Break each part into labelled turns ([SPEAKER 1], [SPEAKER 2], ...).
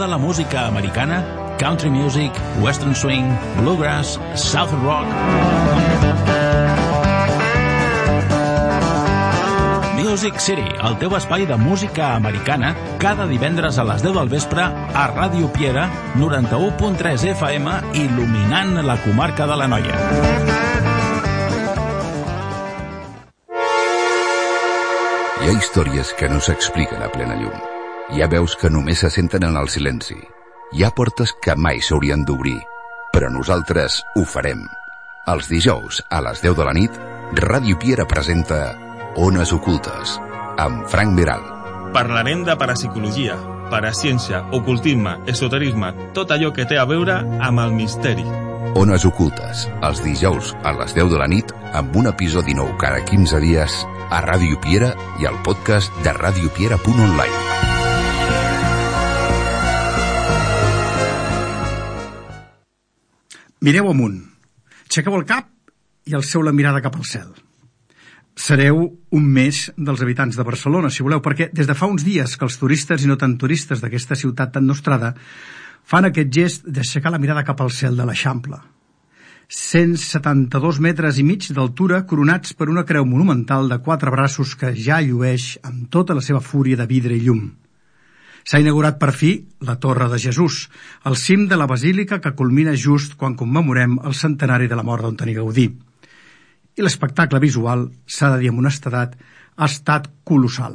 [SPEAKER 1] T'agrada la música americana? Country music, western swing, bluegrass, southern rock... Music City, el teu espai de música americana, cada divendres a les 10 del vespre a Ràdio Piera, 91.3 FM, il·luminant la comarca de l'Anoia.
[SPEAKER 2] Hi ha històries que no s'expliquen a plena llum. Hi ha veus que només se senten en el silenci. Hi ha portes que mai s'haurien d'obrir, però nosaltres ho farem. Els dijous, a les 10 de la nit, Ràdio Piera presenta Ones Ocultes, amb Frank Veral.
[SPEAKER 3] Parlarem de parapsicologia, paraciència, ocultisme, esoterisme, tot allò que té a veure amb el misteri.
[SPEAKER 2] Ones Ocultes, els dijous a les 10 de la nit, amb un episodi nou cada 15 dies a Ràdio Piera i al podcast de radiopiera.online.
[SPEAKER 4] Mireu amunt, aixequeu el cap i alceu la mirada cap al cel. Sereu un més dels habitants de Barcelona, si voleu, perquè des de fa uns dies que els turistes i no tan turistes d'aquesta ciutat tan nostrada fan aquest gest d'aixecar la mirada cap al cel de l'Eixample. 172 metres i mig d'altura coronats per una creu monumental de 4 braços que ja llueix amb tota la seva fúria de vidre i llum. S'ha inaugurat per fi la Torre de Jesús, el cim de la basílica que culmina just quan commemorem el centenari de la mort d'Antoni Gaudí. I l'espectacle visual, s'ha de dir amb honestedat, ha estat colossal.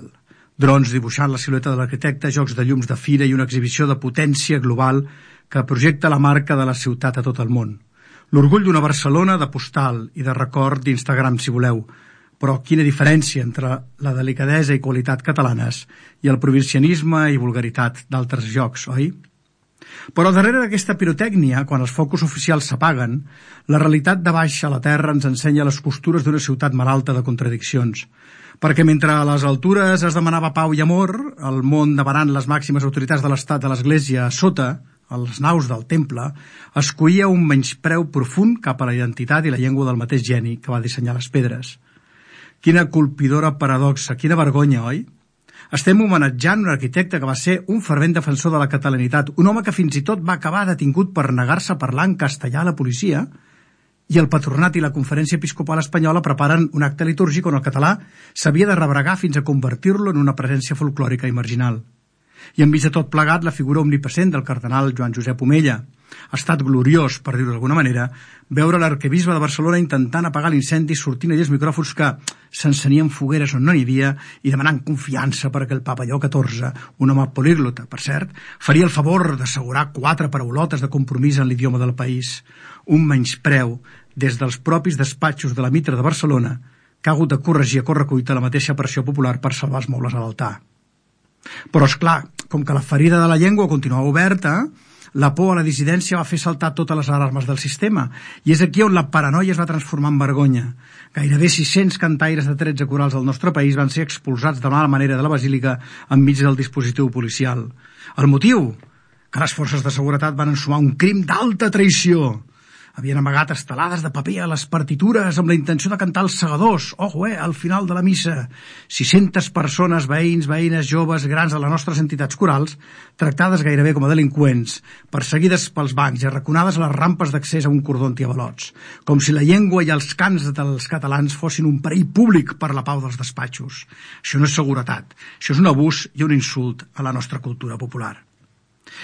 [SPEAKER 4] Drons dibuixant la silueta de l'arquitecte, jocs de llums de fira i una exhibició de potència global que projecta la marca de la ciutat a tot el món. L'orgull d'una Barcelona de postal i de record d'Instagram, si voleu. Però quina diferència entre la delicadesa i qualitat catalanes i el provincianisme i vulgaritat d'altres llocs, oi? Però darrere d'aquesta pirotècnia, quan els focus oficials s'apaguen, la realitat de baix a la terra ens ensenya les costures d'una ciutat malalta de contradiccions. Perquè mentre a les altures es demanava pau i amor, al món demanant les màximes autoritats de l'Estat de l'Església a sota, a les naus del temple, es coïa un menyspreu profund cap a la identitat i la llengua del mateix geni que va dissenyar les pedres. Quina colpidora paradoxa, quina vergonya, oi? Estem homenatjant un arquitecte que va ser un fervent defensor de la catalanitat, un home que fins i tot va acabar detingut per negar-se a parlar en castellà a la policia, i el Patronat i la Conferència Episcopal Espanyola preparen un acte litúrgic on el català s'havia de rebregar fins a convertir-lo en una presència folclòrica i marginal. I enmig de tot plegat la figura omnipresent del cardenal Joan Josep Omella. Ha estat gloriós, per dir-ho d'alguna manera, veure l'arquebisbe de Barcelona intentant apagar l'incendi sortint allà els micròfons que s'encenien fogueres on no n'hi havia i demanant confiança perquè el papa Lleó XIV, un home políglota, per cert, faria el favor d'assegurar 4 paraulotes de compromís en l'idioma del país. Un menyspreu des dels propis despatxos de la Mitra de Barcelona que ha hagut de corregir a correcuita la mateixa pressió popular per salvar els mobles a l'altar. Però, esclar, com que la ferida de la llengua continuava oberta, la por a la dissidència va fer saltar totes les alarmes del sistema, i és aquí on la paranoia es va transformar en vergonya. Gairebé 600 cantaires de 13 corals del nostre país van ser expulsats de mala manera de la basílica enmig del dispositiu policial. El motiu? Que les forces de seguretat van ensumar un crim d'alta traïció. Havien amagat estelades de paper a les partitures amb la intenció de cantar els segadors, al final de la missa. 600 persones, veïns, veïnes, joves, grans de les nostres entitats corals, tractades gairebé com a delinqüents, perseguides pels bancs i arraconades a les rampes d'accés a un cordó antiavalots, com si la llengua i els cants dels catalans fossin un perill públic per la pau dels despatxos. Això no és seguretat, això és un abús i un insult a la nostra cultura popular.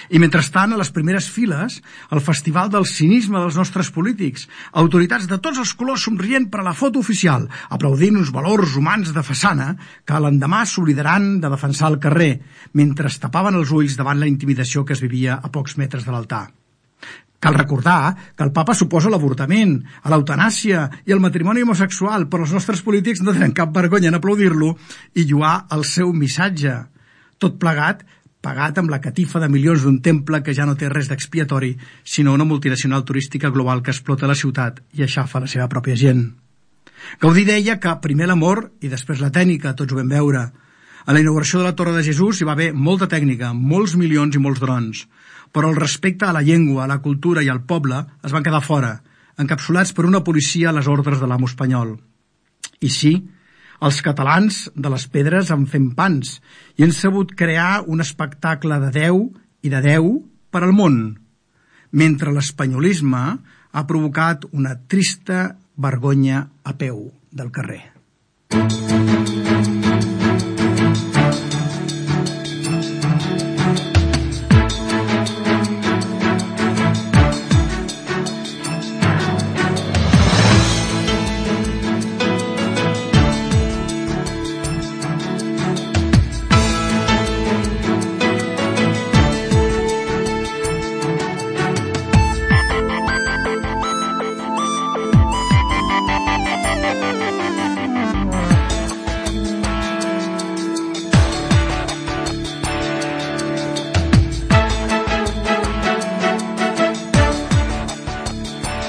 [SPEAKER 4] I mentrestant, a les primeres files, el festival del cinisme dels nostres polítics, autoritats de tots els colors somrient per a la foto oficial, aplaudint uns valors humans de façana que l'endemà s'oblidaran de defensar al carrer, mentre es tapaven els ulls davant la intimidació que es vivia a pocs metres de l'altar. Cal recordar que el papa s'oposa a l'avortament, a l'eutanàsia i al matrimoni homosexual, però els nostres polítics no tenen cap vergonya en aplaudir-lo i lloar el seu missatge. Tot plegat pagat amb la catifa de milions d'un temple que ja no té res d'expiatori, sinó una multinacional turística global que explota la ciutat i aixafa la seva pròpia gent. Gaudí deia que primer l'amor i després la tècnica, tots ho vam veure. A la inauguració de la Torre de Jesús hi va haver molta tècnica, molts milions i molts drons, però el respecte a la llengua, a la cultura i al poble es van quedar fora, encapsulats per una policia a les ordres de l'amo espanyol. I sí, els catalans de les pedres en fem pans i han sabut crear un espectacle de Déu i de 10 per al món, mentre l'espanyolisme ha provocat una trista vergonya a peu del carrer.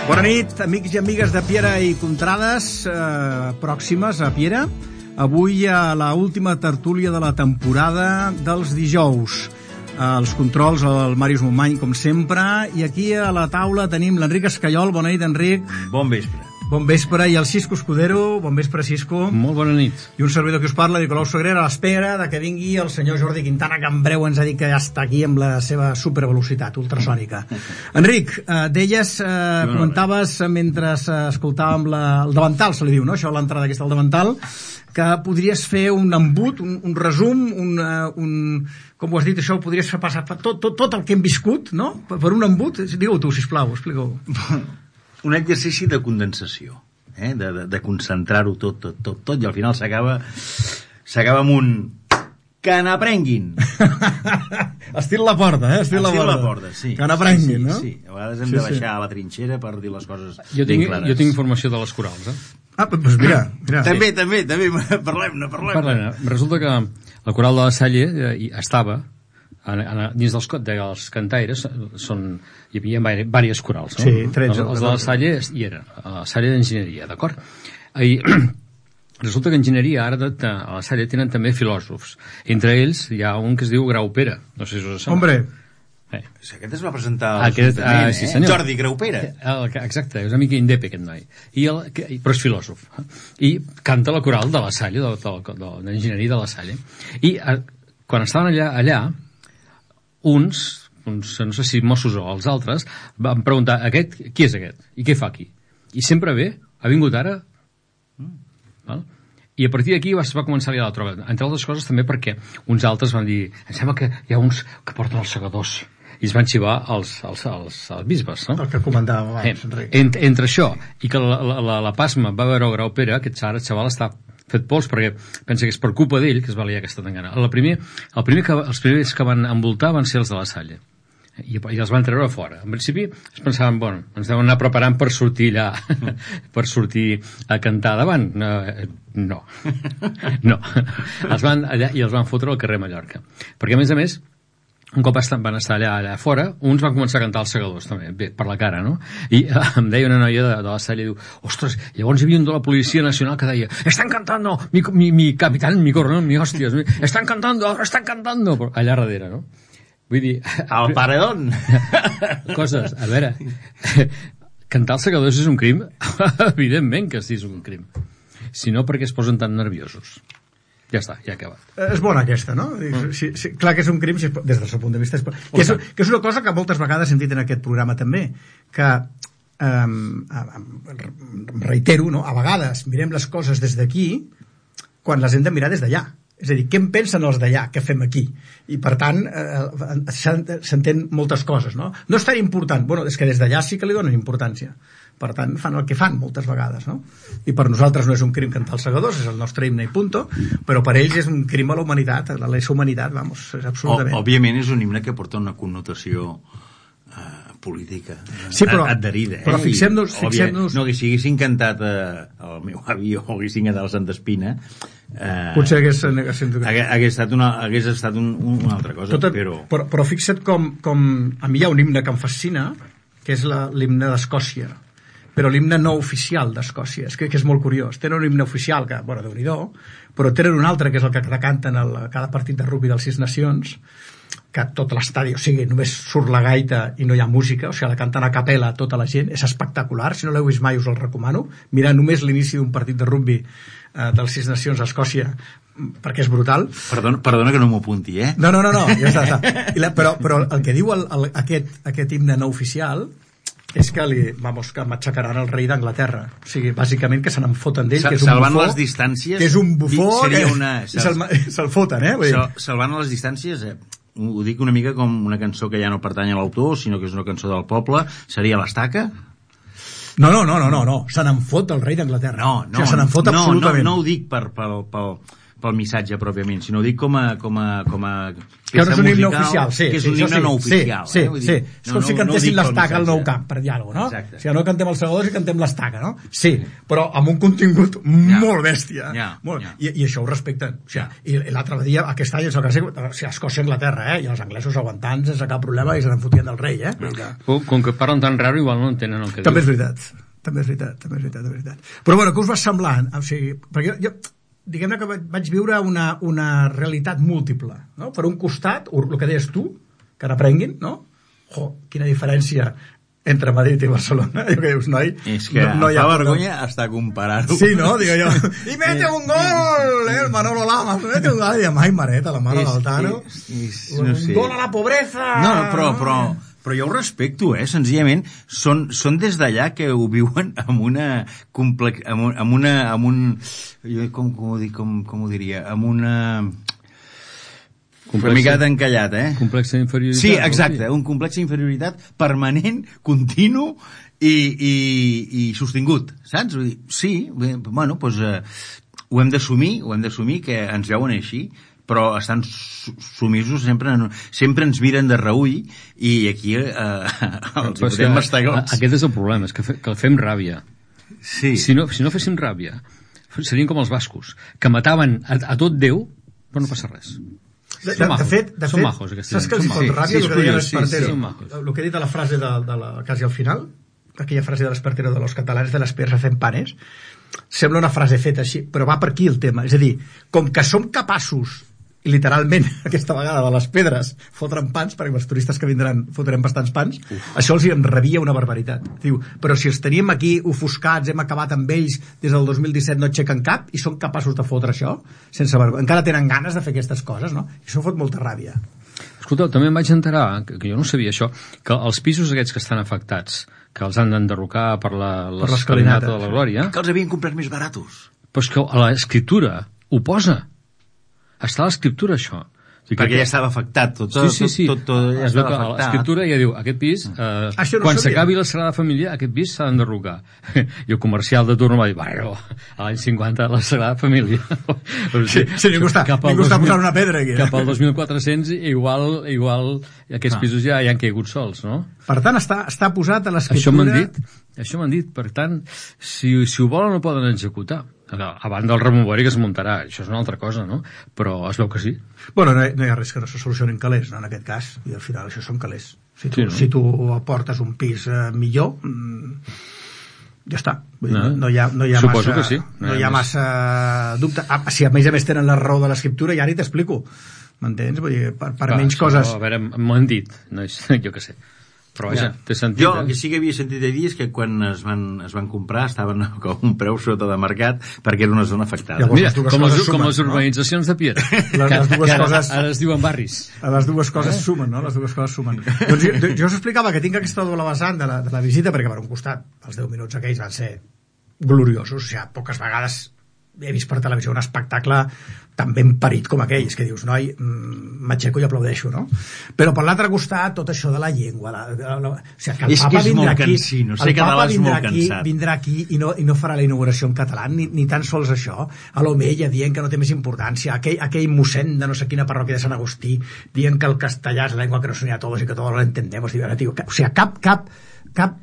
[SPEAKER 4] Bona nit, amics i amigues de Piera i Contrades, pròximes a Piera. Avui a l'última tertúlia de la temporada dels dijous. Els controls, el Màrius Montmany, com sempre, i aquí a la taula tenim l'Enric Escaiol. Bona nit, Enric.
[SPEAKER 5] Bon vespre.
[SPEAKER 4] Bon vespre, i el Cisco Escudero. Bon vespre, Cisco.
[SPEAKER 5] Molt bona nit.
[SPEAKER 4] I un servidor que us parla, Nicolau Sagrera, a l'espera de que vingui el senyor Jordi Quintana, que en breu ens ha dit que ja està aquí amb la seva supervelocitat ultrasònica. Enric, deies, comentaves mentre escoltàvem el davantal, se li diu, no? Això, l'entrada aquesta al davantal, que podries fer un embut, un resum, com ho has dit, això ho podries fer passar tot el que hem viscut, no? Per un embut. Digue-ho tu, sisplau, explica-ho.
[SPEAKER 5] Un exercici de condensació, de concentrar-ho tot, i al final s'acaba amb un que n'aprenguin.
[SPEAKER 4] Estil la porta, estil la porta,
[SPEAKER 5] sí.
[SPEAKER 4] Que n'aprenguin, no?
[SPEAKER 5] Sí, a vegades hem de baixar a la trinxera per dir les coses
[SPEAKER 6] ben clares. Jo tinc informació de les corals,
[SPEAKER 4] doncs mira.
[SPEAKER 5] També, parlem.
[SPEAKER 6] Resulta que la coral de la Salle estava dins dels cantaires, hi havia diverses corals, no?
[SPEAKER 4] Sí, 13.
[SPEAKER 6] Els de la Salle hi eren, a la Salle d'Enginyeria, d'acord? I resulta que enginyeria ara a la Salle tenen també filòsofs. Entre ells hi ha un que es diu Graupera. No sé si us sembla.
[SPEAKER 4] Hombre!
[SPEAKER 5] Aquest es va presentar a l'Ajuntament,
[SPEAKER 6] sí, senyor.
[SPEAKER 5] Jordi Graupera.
[SPEAKER 6] Exacte, és una mica indepe aquest noi. Però és filòsof. I canta la coral de la Salle, d'enginyeria de la Salle. I quan estaven allà uns, no sé si Mossos o els altres, van preguntar, qui és aquest? I què fa aquí? I sempre ve, ha vingut ara? Val? I a partir d'aquí va començar a liar la troba. Entre altres coses també perquè uns altres van dir, em sembla que hi ha uns que porten els segadors. I es van xivar els bisbes, no?
[SPEAKER 4] El que comentàvem abans, Enric.
[SPEAKER 6] Entre això i que la Pasma va veure Graupera, aquest xaval està fet pols perquè pensa que és per culpa d'ell que es va liar aquesta tangana. Els primers que van envoltar van ser els de la Salle i els van treure fora. En principi es pensaven, ens deuen anar preparant per sortir allà per sortir a cantar davant. No. Els van allà i els van fotre al carrer Mallorca, perquè a més un cop van estar allà fora, uns van començar a cantar els segadors també, bé, per la cara, no? I em deia una noia de la Salle, diu, ostres, llavors hi havia un de la Policia Nacional que deia, están cantando, mi capitán, mi coronel, mi hòsties, están cantando, allà darrere, no? Vull dir...
[SPEAKER 5] Al paredón!
[SPEAKER 6] Coses, a veure, cantar els segadors és un crim? Evidentment que sí és un crim. Si no, perquè es posen tan nerviosos. Ja està, ja ha acabat.
[SPEAKER 4] És bona aquesta, no? Sí, clar que és un crim, des del seu punt de vista. Que és una cosa que moltes vegades hem dit en aquest programa també, que reitero, no? A vegades mirem les coses des d'aquí quan les hem de mirar des d'allà. És a dir, què en pensen els d'allà que fem aquí? I per tant s'entén moltes coses, no? No és tan important, és que des d'allà sí que li donen importància, per tant fan el que fan moltes vegades, no? I per nosaltres no és un crim cantar els segadors, és el nostre himne i punto, però per ells és un crim a la humanitat, a la lesa humanitat, és absolutament.
[SPEAKER 5] Òbviament és un himne que porta una connotació política adherida,
[SPEAKER 4] però fixem-nos
[SPEAKER 5] no, que si haguessin cantat el meu avi o haguessin cantat el Santa Espina
[SPEAKER 4] potser hagués
[SPEAKER 5] estat una altra cosa.
[SPEAKER 4] Però fixa't com a mi hi ha un himne que em fascina, que és l'himne d'Escòcia, però l'himne no oficial d'Escòcia, és que és molt curiós. Tenen un himne oficial que, Déu-n'hi-do, però tenen un altre que és el que canten a cada partit de rugby dels 6 Nacions, que tot l'estadi, o sigui, només surt la gaita i no hi ha música, o sigui, la canten a capella tota la gent, és espectacular, si no l'heu vist mai us el recomano, mirar només l'inici d'un partit de rugby dels 6 Nacions a Escòcia, perquè és brutal.
[SPEAKER 5] Perdona que no m'ho apunti, eh?
[SPEAKER 4] No, ja està. Però el que diu aquest himne no oficial és que que matxacaran el rei d'Anglaterra. O sigui, bàsicament que se n'en foten d'ell, que és un
[SPEAKER 5] salvant
[SPEAKER 4] bufó.
[SPEAKER 5] Les distàncies...
[SPEAKER 4] Que és un bufó, se'l foten, eh?
[SPEAKER 5] Salvant les distàncies, ho dic una mica com una cançó que ja no pertany a l'autor, sinó que és una cançó del poble, seria l'Estaca?
[SPEAKER 4] No, se n'en fot el rei d'Anglaterra.
[SPEAKER 5] No,
[SPEAKER 4] o sigui, se n'en fot absolutament.
[SPEAKER 5] No ho dic pel missatge pròpiament, sinó ho dic com a
[SPEAKER 4] que no és un himne oficial, sí.
[SPEAKER 5] Que és un himne no oficial.
[SPEAKER 4] Sí. És com si cantessin l'Estaca al Nou Camp, per dir alguna cosa, no?
[SPEAKER 5] Exacte.
[SPEAKER 4] O sigui, no cantem els Segadors i cantem l'Estaca, no? Sí, però amb un contingut molt bèstia. I això ho respecten. O sigui, i l'altre dia, aquest any, Escòcia i Anglaterra, i els anglesos aguantant sense cap problema i se n'en fotien del rei, eh?
[SPEAKER 6] Com que parlen tan raro, igual no entenen el que diu.
[SPEAKER 4] També és veritat. Però bueno, què us va semblar? O sigui, perquè jo diguem-ne que vaig viure una realitat múltiple, no? Per un costat, el que deies tu, que n'aprenguin, no? Quina diferència entre Madrid i Barcelona, jo que dius, noi...
[SPEAKER 5] És que no hi ha vergonya hasta comparar-ho.
[SPEAKER 4] Sí, no? Digo jo, i mete un gol, el Manolo Lama, mete un gol, i ai, Mareta, la mare d'Altano, un gol a la pobreza...
[SPEAKER 5] No, però jo ho respecto, senzillament són des d'allà que ho viuen amb una com ho diria, amb una mica encallat,
[SPEAKER 6] complex d'inferioritat.
[SPEAKER 5] Sí, exacte, un complex d'inferioritat permanent, continu i sostingut, saps? Sí, bueno, doncs ho hem d'assumir que ens veuen així, però estan sumisos, sempre ens miren de reull, i aquí els podem mastegar.
[SPEAKER 6] Aquest és el problema, és que fem ràbia.
[SPEAKER 5] Sí.
[SPEAKER 6] Si no féssim ràbia, serien com els bascos, que mataven a tot Déu, però no passa res.
[SPEAKER 4] De fet,
[SPEAKER 6] majos,
[SPEAKER 4] saps que els fot ràbia el que deia l'Espartero?
[SPEAKER 6] El
[SPEAKER 4] que he dit a la frase quasi al final, aquella frase de l'Espartero de los catalanes de las piedras hacen panes, sembla una frase feta així, però va per aquí el tema. És a dir, com que som capaços, i literalment, aquesta vegada, de les pedres fotran pans, perquè els turistes que vindran fotrem bastants pans, això els rebia una barbaritat. Diu, però si els teníem aquí ofuscats, hem acabat amb ells des del 2017, no aixequen cap, i són capaços de fotre això, sense vergonya. Encara tenen ganes de fer aquestes coses, no? I això fot molta ràbia.
[SPEAKER 6] Escolteu, també em vaig enterar, que jo no sabia això, que els pisos aquests que estan afectats, que els han d'enderrocar per l'escalinata de la Glòria...
[SPEAKER 5] Que els havien comprat més baratos.
[SPEAKER 6] Però és que a l'escriptura ho posa. Està a l'escriptura, això. O sigui,
[SPEAKER 5] perquè ja estava afectat. Tot ja estava afectat.
[SPEAKER 6] L'escriptura ja diu, aquest pis, quan s'acabi la Sagrada Família, aquest pis s'ha d'enderrocar. I el comercial de turno va dir, bueno, a l'any 50 la Sagrada Família.
[SPEAKER 4] Sí, ningú està posant una pedra aquí.
[SPEAKER 6] Cap al 2400 igual aquests pisos ja han caigut sols, no?
[SPEAKER 4] Per tant, està posat a l'escriptura...
[SPEAKER 6] Això m'han dit. Per tant, si ho volen, no poden executar. A banda del remover que es muntarà, això és una altra cosa, no? Però es veu que sí.
[SPEAKER 4] Bueno, no hi ha res que no se solucionin calés, no? En aquest cas, i al final això són calés. Si tu aportes un pis millor, ja està. No hi ha
[SPEAKER 6] suposo
[SPEAKER 4] massa,
[SPEAKER 6] que sí.
[SPEAKER 4] No hi ha massa dubte. Si a més a tenen la raó de l'escriptura, ja ni t'explico. M'entens? Vull dir, per menys coses...
[SPEAKER 6] A veure, m'ho han dit, jo què sé. Però vaja, té sentit.
[SPEAKER 5] Jo que sí que havia sentit a dir és que quan es van comprar estaven com un preu sota de mercat perquè era una zona afectada.
[SPEAKER 6] Mira, com les urbanitzacions de Piera, que ara es diuen barris.
[SPEAKER 4] Les dues coses sumen, no? Les dues coses sumen. Doncs jo us explicava que tinc aquesta doble vessant de la visita, perquè per un costat els 10 minuts aquells van ser gloriosos, o sigui, poques vegades he vist per televisió un espectacle tan ben parit com aquell, és que dius, noi, m'aixeco i aplaudeixo, no? Però per l'altre costat, tot això de la llengua, o sigui, que el Papa vindrà aquí, el Papa vindrà aquí i no farà la inauguració en català, ni tan sols això, a l'Omeia dient que no té més importància, aquell mossèn de no sé quina parròquia de Sant Agustí dient que el castellà és la llengua que nos une a todos i que todos lo entendemos, o sigui, cap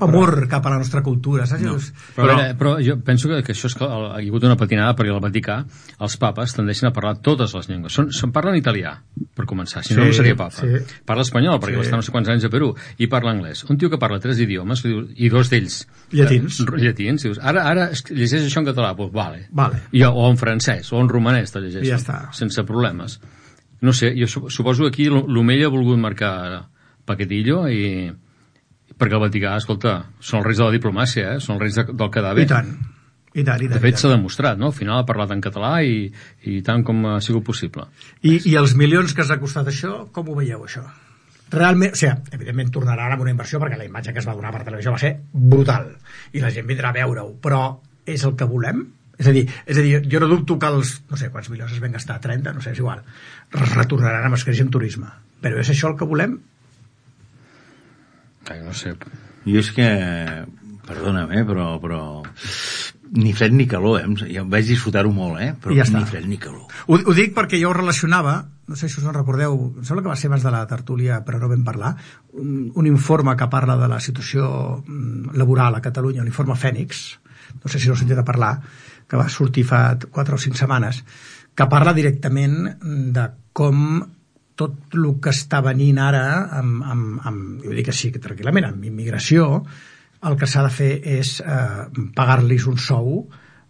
[SPEAKER 4] amor cap a la nostra cultura, saps?
[SPEAKER 6] No. Però jo penso que això és que hi ha hagut una patinada perquè al Vaticà els papes tendeixen a parlar totes les llengües. Parlen italià, per començar, si no seria papa. Sí. Parla espanyol, perquè va estar no sé quants anys a Perú, i parla anglès. Un tio que parla 3 idiomes, i 2 d'ells llatins, dius, ara llegeix això en català, doncs vale. O en francès, o en romanès te llegeix, sense problemes. No sé, jo suposo que aquí l'Omella ha volgut marcar paquetillo perquè el Vaticà, escolta, són els reis de la diplomàcia, són els reis del quedar bé.
[SPEAKER 4] I tant.
[SPEAKER 6] De fet, s'ha demostrat, no? Al final ha parlat en català i tant com ha sigut possible.
[SPEAKER 4] I els milions que s'ha costat això, com ho veieu, això? Realment, o sigui, evidentment tornarà amb una inversió perquè la imatge que es va donar per televisió va ser brutal i la gent vindrà a veure-ho, però és el que volem? És a dir, jo no dubto que els, no sé quants milions es van gastar, 30, no sé, és igual, retornaran amb escreix en turisme, però és això el que volem?
[SPEAKER 6] No sé.
[SPEAKER 5] Jo és que, perdona'm, però ni fred ni calor, ja em vaig disfrutar-ho molt, però ja ni fred ni calor.
[SPEAKER 4] Ho dic perquè jo ho relacionava, no sé si us en recordeu, em sembla que va ser abans de la tertúlia, però no vam parlar, un informe que parla de la situació laboral a Catalunya, l'informe Fènix, no sé si heu sentit a parlar, que va sortir fa 4 o 5 setmanes, que parla directament de com tot el que està venint ara, jo dic així tranquil·lament, amb immigració, el que s'ha de fer és pagar-los un sou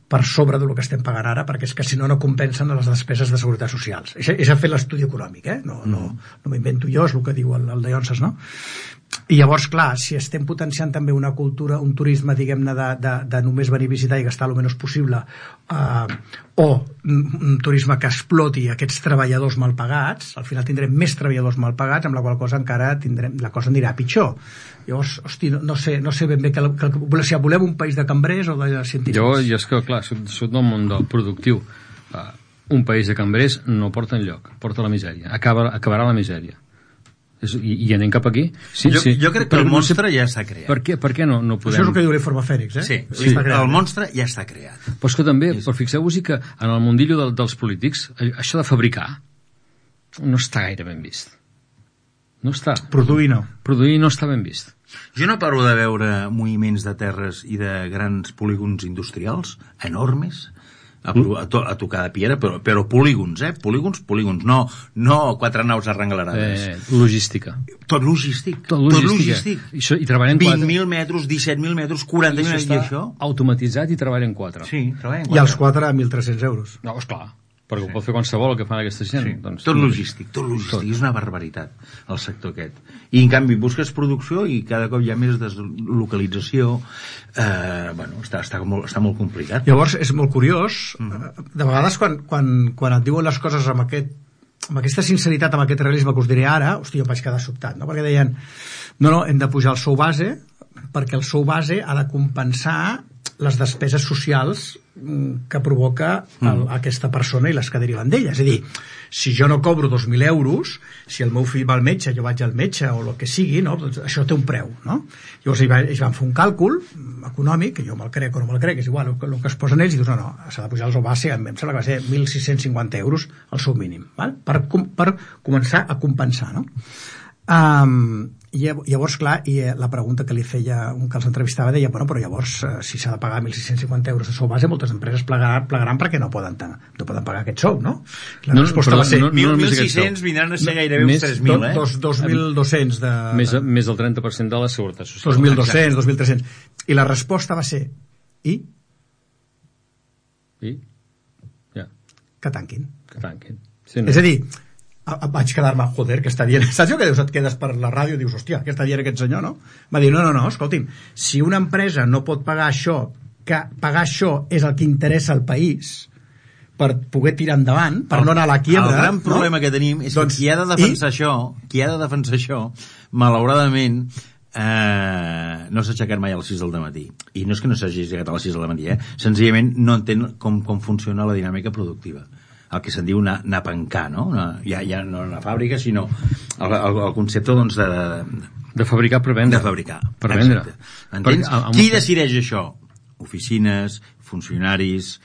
[SPEAKER 4] per sobre del que estem pagant ara, perquè és que si no, no compensen les despeses de seguretat socials. És a fer l'estudi econòmic, no m'invento jo, és el que diu el de Llonses, no? I llavors, clar, si estem potenciant també una cultura, un turisme, diguem-ne, de només venir a visitar i gastar el menys possible, o un turisme que exploti aquests treballadors mal pagats, al final tindrem més treballadors mal pagats, amb la qual cosa encara la cosa anirà pitjor. Llavors, hosti, no sé ben bé si volem un país de cambrers o de científics.
[SPEAKER 6] Jo és que, clar, soc del món del productiu. Un país de cambrers no porta enlloc, porta la misèria. Acabarà la misèria. I anem cap aquí?
[SPEAKER 5] Jo crec que el monstre ja està creat.
[SPEAKER 6] Per què no podem...
[SPEAKER 4] Això és el que diu l'informe Fènix,
[SPEAKER 5] Sí, el monstre ja està creat.
[SPEAKER 6] Però és que també, fixeu-vos que en el mundillo dels polítics, això de fabricar no està gaire ben vist. No està.
[SPEAKER 4] Produir
[SPEAKER 6] no està ben vist.
[SPEAKER 5] Jo no paro de veure moviments de terres i de grans polígons industrials enormes a tocar de piedra, però polígons, polígons, no 4 naus arrenglerades.
[SPEAKER 6] Logística.
[SPEAKER 5] Tot logístic.
[SPEAKER 6] I treballen
[SPEAKER 5] 20.000 metres, 17.000 metres, 40.000 metres, i això?
[SPEAKER 6] Automatitzat i treballen 4.
[SPEAKER 5] Sí, treballen 4.
[SPEAKER 4] I els 4 a 1.300 euros.
[SPEAKER 6] No, esclar. Perquè ho pot fer qualsevol el que fan aquesta gent.
[SPEAKER 5] Sí.
[SPEAKER 6] Doncs,
[SPEAKER 5] tot logístic. És una barbaritat, el sector aquest. I en canvi busques producció i cada cop hi ha més deslocalització. Està molt complicat.
[SPEAKER 4] Llavors és molt curiós, de vegades quan et diuen les coses amb aquesta sinceritat, amb aquest realisme que us diré ara, hosti, jo em vaig quedar sobtat, no? Perquè deien, no, hem de pujar el sou base perquè el sou base ha de compensar les despeses socials que provoca aquesta persona i les que deriven d'ella. És a dir, si jo no cobro 2.000 euros, si el meu fill va al metge, jo vaig al metge o el que sigui, no? Doncs això té un preu, no? Llavors ells van fer un càlcul econòmic, que jo me'l crec o no me'l crec, és igual el que es posen ells, i dius, no, s'ha de pujar el sou base, em sembla que va ser 1.650 euros el sou mínim, val? Per començar a compensar, no? Llavors, clar, i la pregunta que li feia un que els entrevistava deia, bueno, però llavors si s'ha de pagar 1.650 euros de sou base, moltes empreses plegaran perquè no poden pagar aquest sou, no? La resposta va ser
[SPEAKER 5] 1.600 vindran a ser gairebé uns 3.000,
[SPEAKER 4] 2.200 de...
[SPEAKER 6] Més del 30% de la seguretat social.
[SPEAKER 4] 2.200, 2.300. I la resposta va ser que tanquin.
[SPEAKER 6] Sí, no.
[SPEAKER 4] És a dir, vaig quedar-me, joder, què està dient? Saps el que dius? Et quedes per la ràdio i dius, hòstia, què està dient aquest senyor, no? Va dir, no, escolti'm, si una empresa no pot pagar això, que pagar això és el que interessa al país per poder tirar endavant, per no anar a la quiebra...
[SPEAKER 5] El gran problema que tenim és que qui ha de defensar això, malauradament, no s'ha aixecat mai a les 6 del matí. I no és que no s'hagi aixecat a les 6 del matí, senzillament no entén com funciona la dinàmica productiva. El que se'n diu anar a pencar, no? Ja no una fàbrica, sinó el concepte, doncs,
[SPEAKER 6] de fabricar per vendre.
[SPEAKER 5] De fabricar.
[SPEAKER 6] Per vendre.
[SPEAKER 5] Entens? Qui decideix això? Oficines, funcionaris,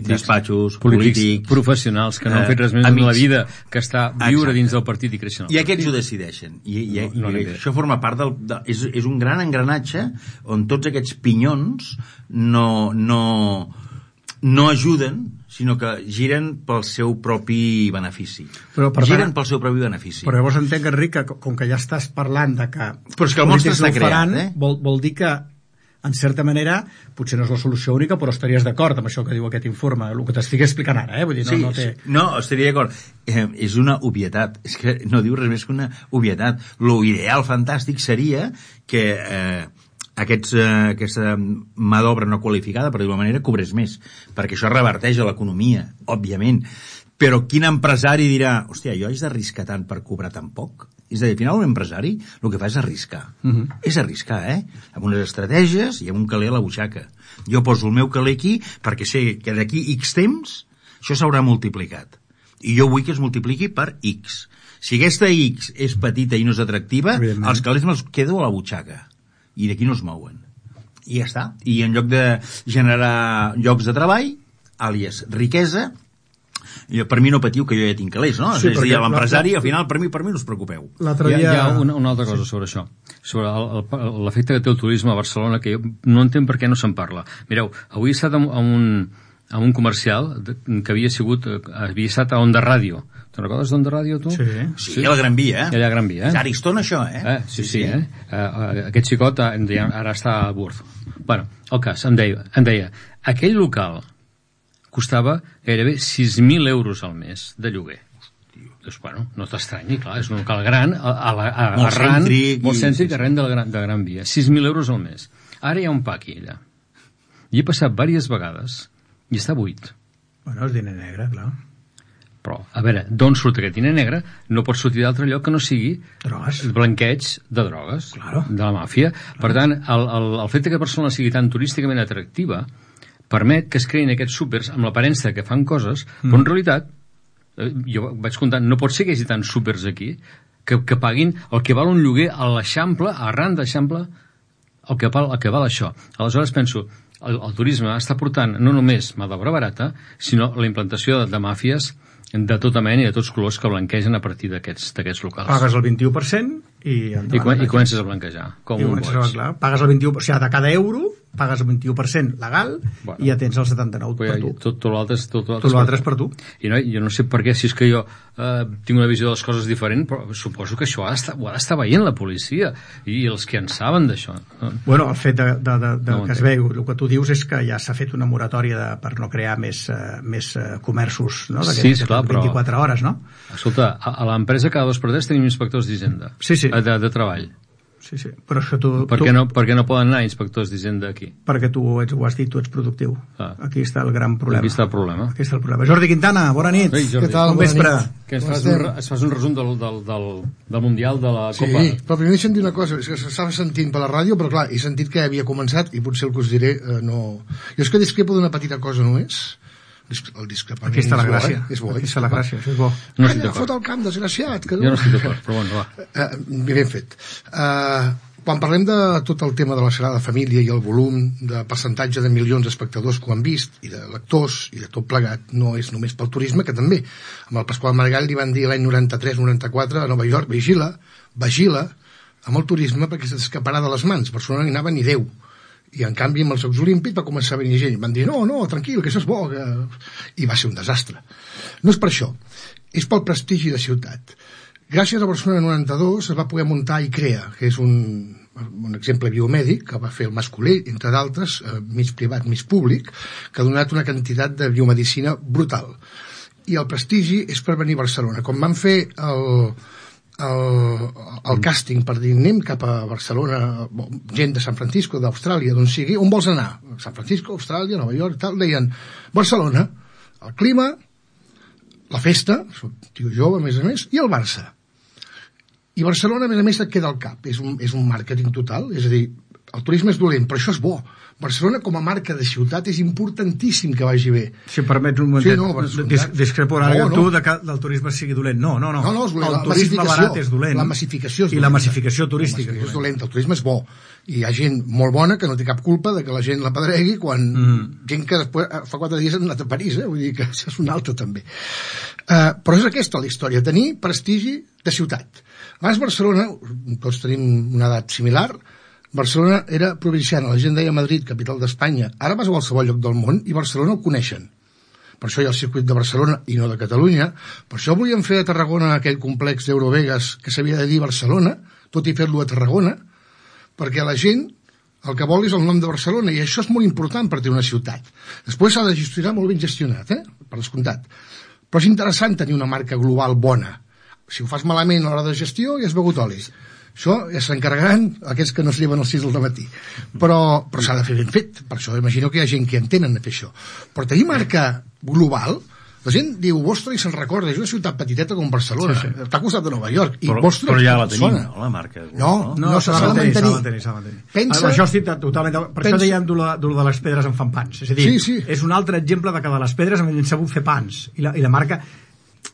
[SPEAKER 5] despatxos, polítics,
[SPEAKER 6] professionals que no han fet res més en la vida que està viure dins del partit i créixer.
[SPEAKER 5] I aquests ho decideixen. I això forma part és un gran engranatge on tots aquests pinyons no ajuden, sinó que giren pel seu propi benefici. Però
[SPEAKER 4] llavors entenc, Enric, que com que ja estàs parlant de que...
[SPEAKER 5] Però és que el monstre està creat,
[SPEAKER 4] vol dir que, en certa manera, potser no és la solució única, però estaries d'acord amb això que diu aquest informe, el que t'estic explicant ara, Vull dir,
[SPEAKER 5] no, estaria d'acord. És una obvietat. És que no diu res més que una obvietat. Lo ideal, fantàstic, seria que aquesta mà d'obra no qualificada, per dir-ho manera, cobrés més, perquè això reverteix a l'economia, òbviament. Però quin empresari dirà, hòstia, jo haig d'arriscar tant per cobrar tan poc? És a dir, al final un empresari el que fa és arriscar. És arriscar, amb unes estratègies i amb un caler a la butxaca. Jo poso el meu caler aquí perquè sé que d'aquí X temps això s'haurà multiplicat. I jo vull que es multipliqui per X. Si aquesta X és petita i no és atractiva, els calés me'ls quedo a la butxaca. I d'aquí no es mouen. I ja està. I en lloc de generar llocs de treball, àlies riquesa, per mi no patiu que jo ja tinc calés, no? Sí, és a dir, l'empresari, al final, per mi no us preocupeu.
[SPEAKER 6] Hi ha una altra cosa sobre això, sobre l'efecte que té el turisme a Barcelona, que jo no entenc per què no se'n parla. Mireu, avui he estat en un comercial que havia estat a Onda Ràdio. Te'n recordes d'Onda Ràdio, tu?
[SPEAKER 5] Sí, a la Gran Via,
[SPEAKER 6] Allà a Gran Via,
[SPEAKER 5] És Ariston, això,
[SPEAKER 6] Sí. Aquest xicot ara està a Burth. Bueno, el cas, em deia, aquell local costava gairebé 6.000 euros al mes de lloguer. Doncs, bueno, no t'estranyi, clar, és un local gran, molt cèntric, arran de Gran Via. 6.000 euros al mes. Ara hi ha un paqui allà. I he passat diverses vegades i està buit.
[SPEAKER 4] Bueno, és diner negre, clar.
[SPEAKER 6] Però, a veure, d'on surt aquest diner negre? No pot sortir d'altre lloc que no sigui
[SPEAKER 4] drogues.
[SPEAKER 6] Blanqueig de drogues, de la màfia. Per tant, el fet que Barcelona sigui tan turísticament atractiva permet que es creïn aquests súpers amb l'aparença que fan coses, però en realitat, jo vaig comptant, no pot ser que hi hagi tants súpers aquí que paguin el que val un lloguer a l'Eixample, arran d'Eixample, el que val això. Aleshores penso, el turisme està portant no només mà d'obra barata, sinó la implantació de màfies de tota mena i de tots colors que blanquegen a partir d'aquests locals.
[SPEAKER 4] Pagues el 21% i
[SPEAKER 6] comences a blanquejar, com un boig.
[SPEAKER 4] Pagues el 21%, o sigui, de cada euro pagues el 21% legal i ja tens el 79% per tu.
[SPEAKER 6] Tot
[SPEAKER 4] l'altre és per tu.
[SPEAKER 6] I jo no sé per què, si és que jo tinc una visió de les coses diferent, però suposo que això ho ha d'estar veient la policia i els que en saben d'això.
[SPEAKER 4] Bueno, el fet que es veu, el que tu dius és que ja s'ha fet una moratòria per no crear més comerços, no?
[SPEAKER 6] Sí, esclar, però
[SPEAKER 4] 24 hores, no?
[SPEAKER 6] Escolta, a l'empresa cada 2 per 3 tenim inspectors d'Hisenda.
[SPEAKER 4] Sí.
[SPEAKER 6] De treball.
[SPEAKER 4] Sí, però és que tu...
[SPEAKER 6] Per què no poden anar inspectors d'Hisenda aquí?
[SPEAKER 4] Perquè tu ho has dit, tu ets productiu. Aquí està el gran problema.
[SPEAKER 6] Aquí està el problema.
[SPEAKER 4] Jordi Quintana, bona nit.
[SPEAKER 6] Què
[SPEAKER 4] tal? Bon vespre.
[SPEAKER 6] Que es fas un resum del Mundial de la Copa.
[SPEAKER 7] Sí, però primer he sentit una cosa, és que s'estava sentint per la ràdio, però clar, he sentit que havia començat i potser el que us diré no... Jo és que discrepo d'una petita cosa només. El discrepament
[SPEAKER 4] aquí està la gràcia.
[SPEAKER 7] És bo,
[SPEAKER 4] aquí està la gràcia, això és bo.
[SPEAKER 6] No estic d'acord.
[SPEAKER 7] Fot el camp, desgraciat.
[SPEAKER 6] Jo no estic d'acord, però bueno, va.
[SPEAKER 7] Ben fet. Quan parlem de tot el tema de la Sagrada Família i el volum de percentatge de milions d'espectadors que ho han vist, i de lectors, i de tot plegat, no és només pel turisme, que també. Amb el Pasqual Maragall li van dir l'any 93-94 a Nova York, vigila amb el turisme perquè s'escaparà de les mans. Barcelona n'hi anava ni Déu. I en canvi amb els Jocs Olímpics va començar a venir gent, van dir no, tranquil, que això és bo, i va ser un desastre. No és per això, és pel prestigi de ciutat. Gràcies a Barcelona 92 es va poder muntar ICREA, que és un exemple biomèdic que va fer el Mascolell, entre d'altres, mig privat, mig públic, que ha donat una quantitat de biomedicina brutal. I el prestigi és per venir a Barcelona. Com van fer el càsting per dir anem cap a Barcelona, gent de San Francisco, d'Austràlia, d'on sigui, on vols anar? San Francisco, Austràlia, Nova York, tal, deien Barcelona, el clima, la festa, soc tio jove, a més, i el Barça. I Barcelona, a més, et queda al cap, és un màrqueting total, és a dir, el turisme és dolent, però això és bo. Barcelona com a marca de ciutat és importantíssim que vagi bé.
[SPEAKER 4] Si em permets un momentet, discrepo ara que tu que el turisme sigui dolent. No, el turisme barat és dolent.
[SPEAKER 7] La massificació és dolenta.
[SPEAKER 4] I la massificació turística.
[SPEAKER 7] És dolenta, el turisme és bo. I hi ha gent molt bona que no té cap culpa de que la gent la pedregui quan gent que després, fa 4 dies han anat a París, vull dir que això és una altra també. Però és aquesta la història, tenir prestigi de ciutat. Abans Barcelona, tots tenim una edat similar, Barcelona era provinciana, la gent deia Madrid, capital d'Espanya. Ara vas a qualsevol lloc del món i Barcelona ho coneixen. Per això hi ha el circuit de Barcelona i no de Catalunya. Per això volien fer a Tarragona aquell complex d'Eurovegas que s'havia de dir Barcelona, tot i fer-lo a Tarragona, perquè la gent el que vol és el nom de Barcelona, i això és molt important per tenir una ciutat. Després s'ha de gestionar molt ben gestionat, per descomptat. Però és interessant tenir una marca global bona. Si ho fas malament a l'hora de gestió, ja has begut oli. Això s'encarregaran aquests que no es lleven als 6 del matí. Però s'ha de fer ben fet. Per això imagino que hi ha gent que entenen a fer això. Però tenir marca global, la gent diu Boston i se'n recorda, és una ciutat petiteta com Barcelona, està al costat de Nova York, i Boston
[SPEAKER 5] però ja la
[SPEAKER 7] tenim,
[SPEAKER 5] no, la marca
[SPEAKER 7] global. No, s'ha de mantenir.
[SPEAKER 4] Pensa... Això estic totalment... Per això dèiem de les pedres en fan pans. És a dir, és un altre exemple de que de les pedres hem sabut fer pans. I la marca...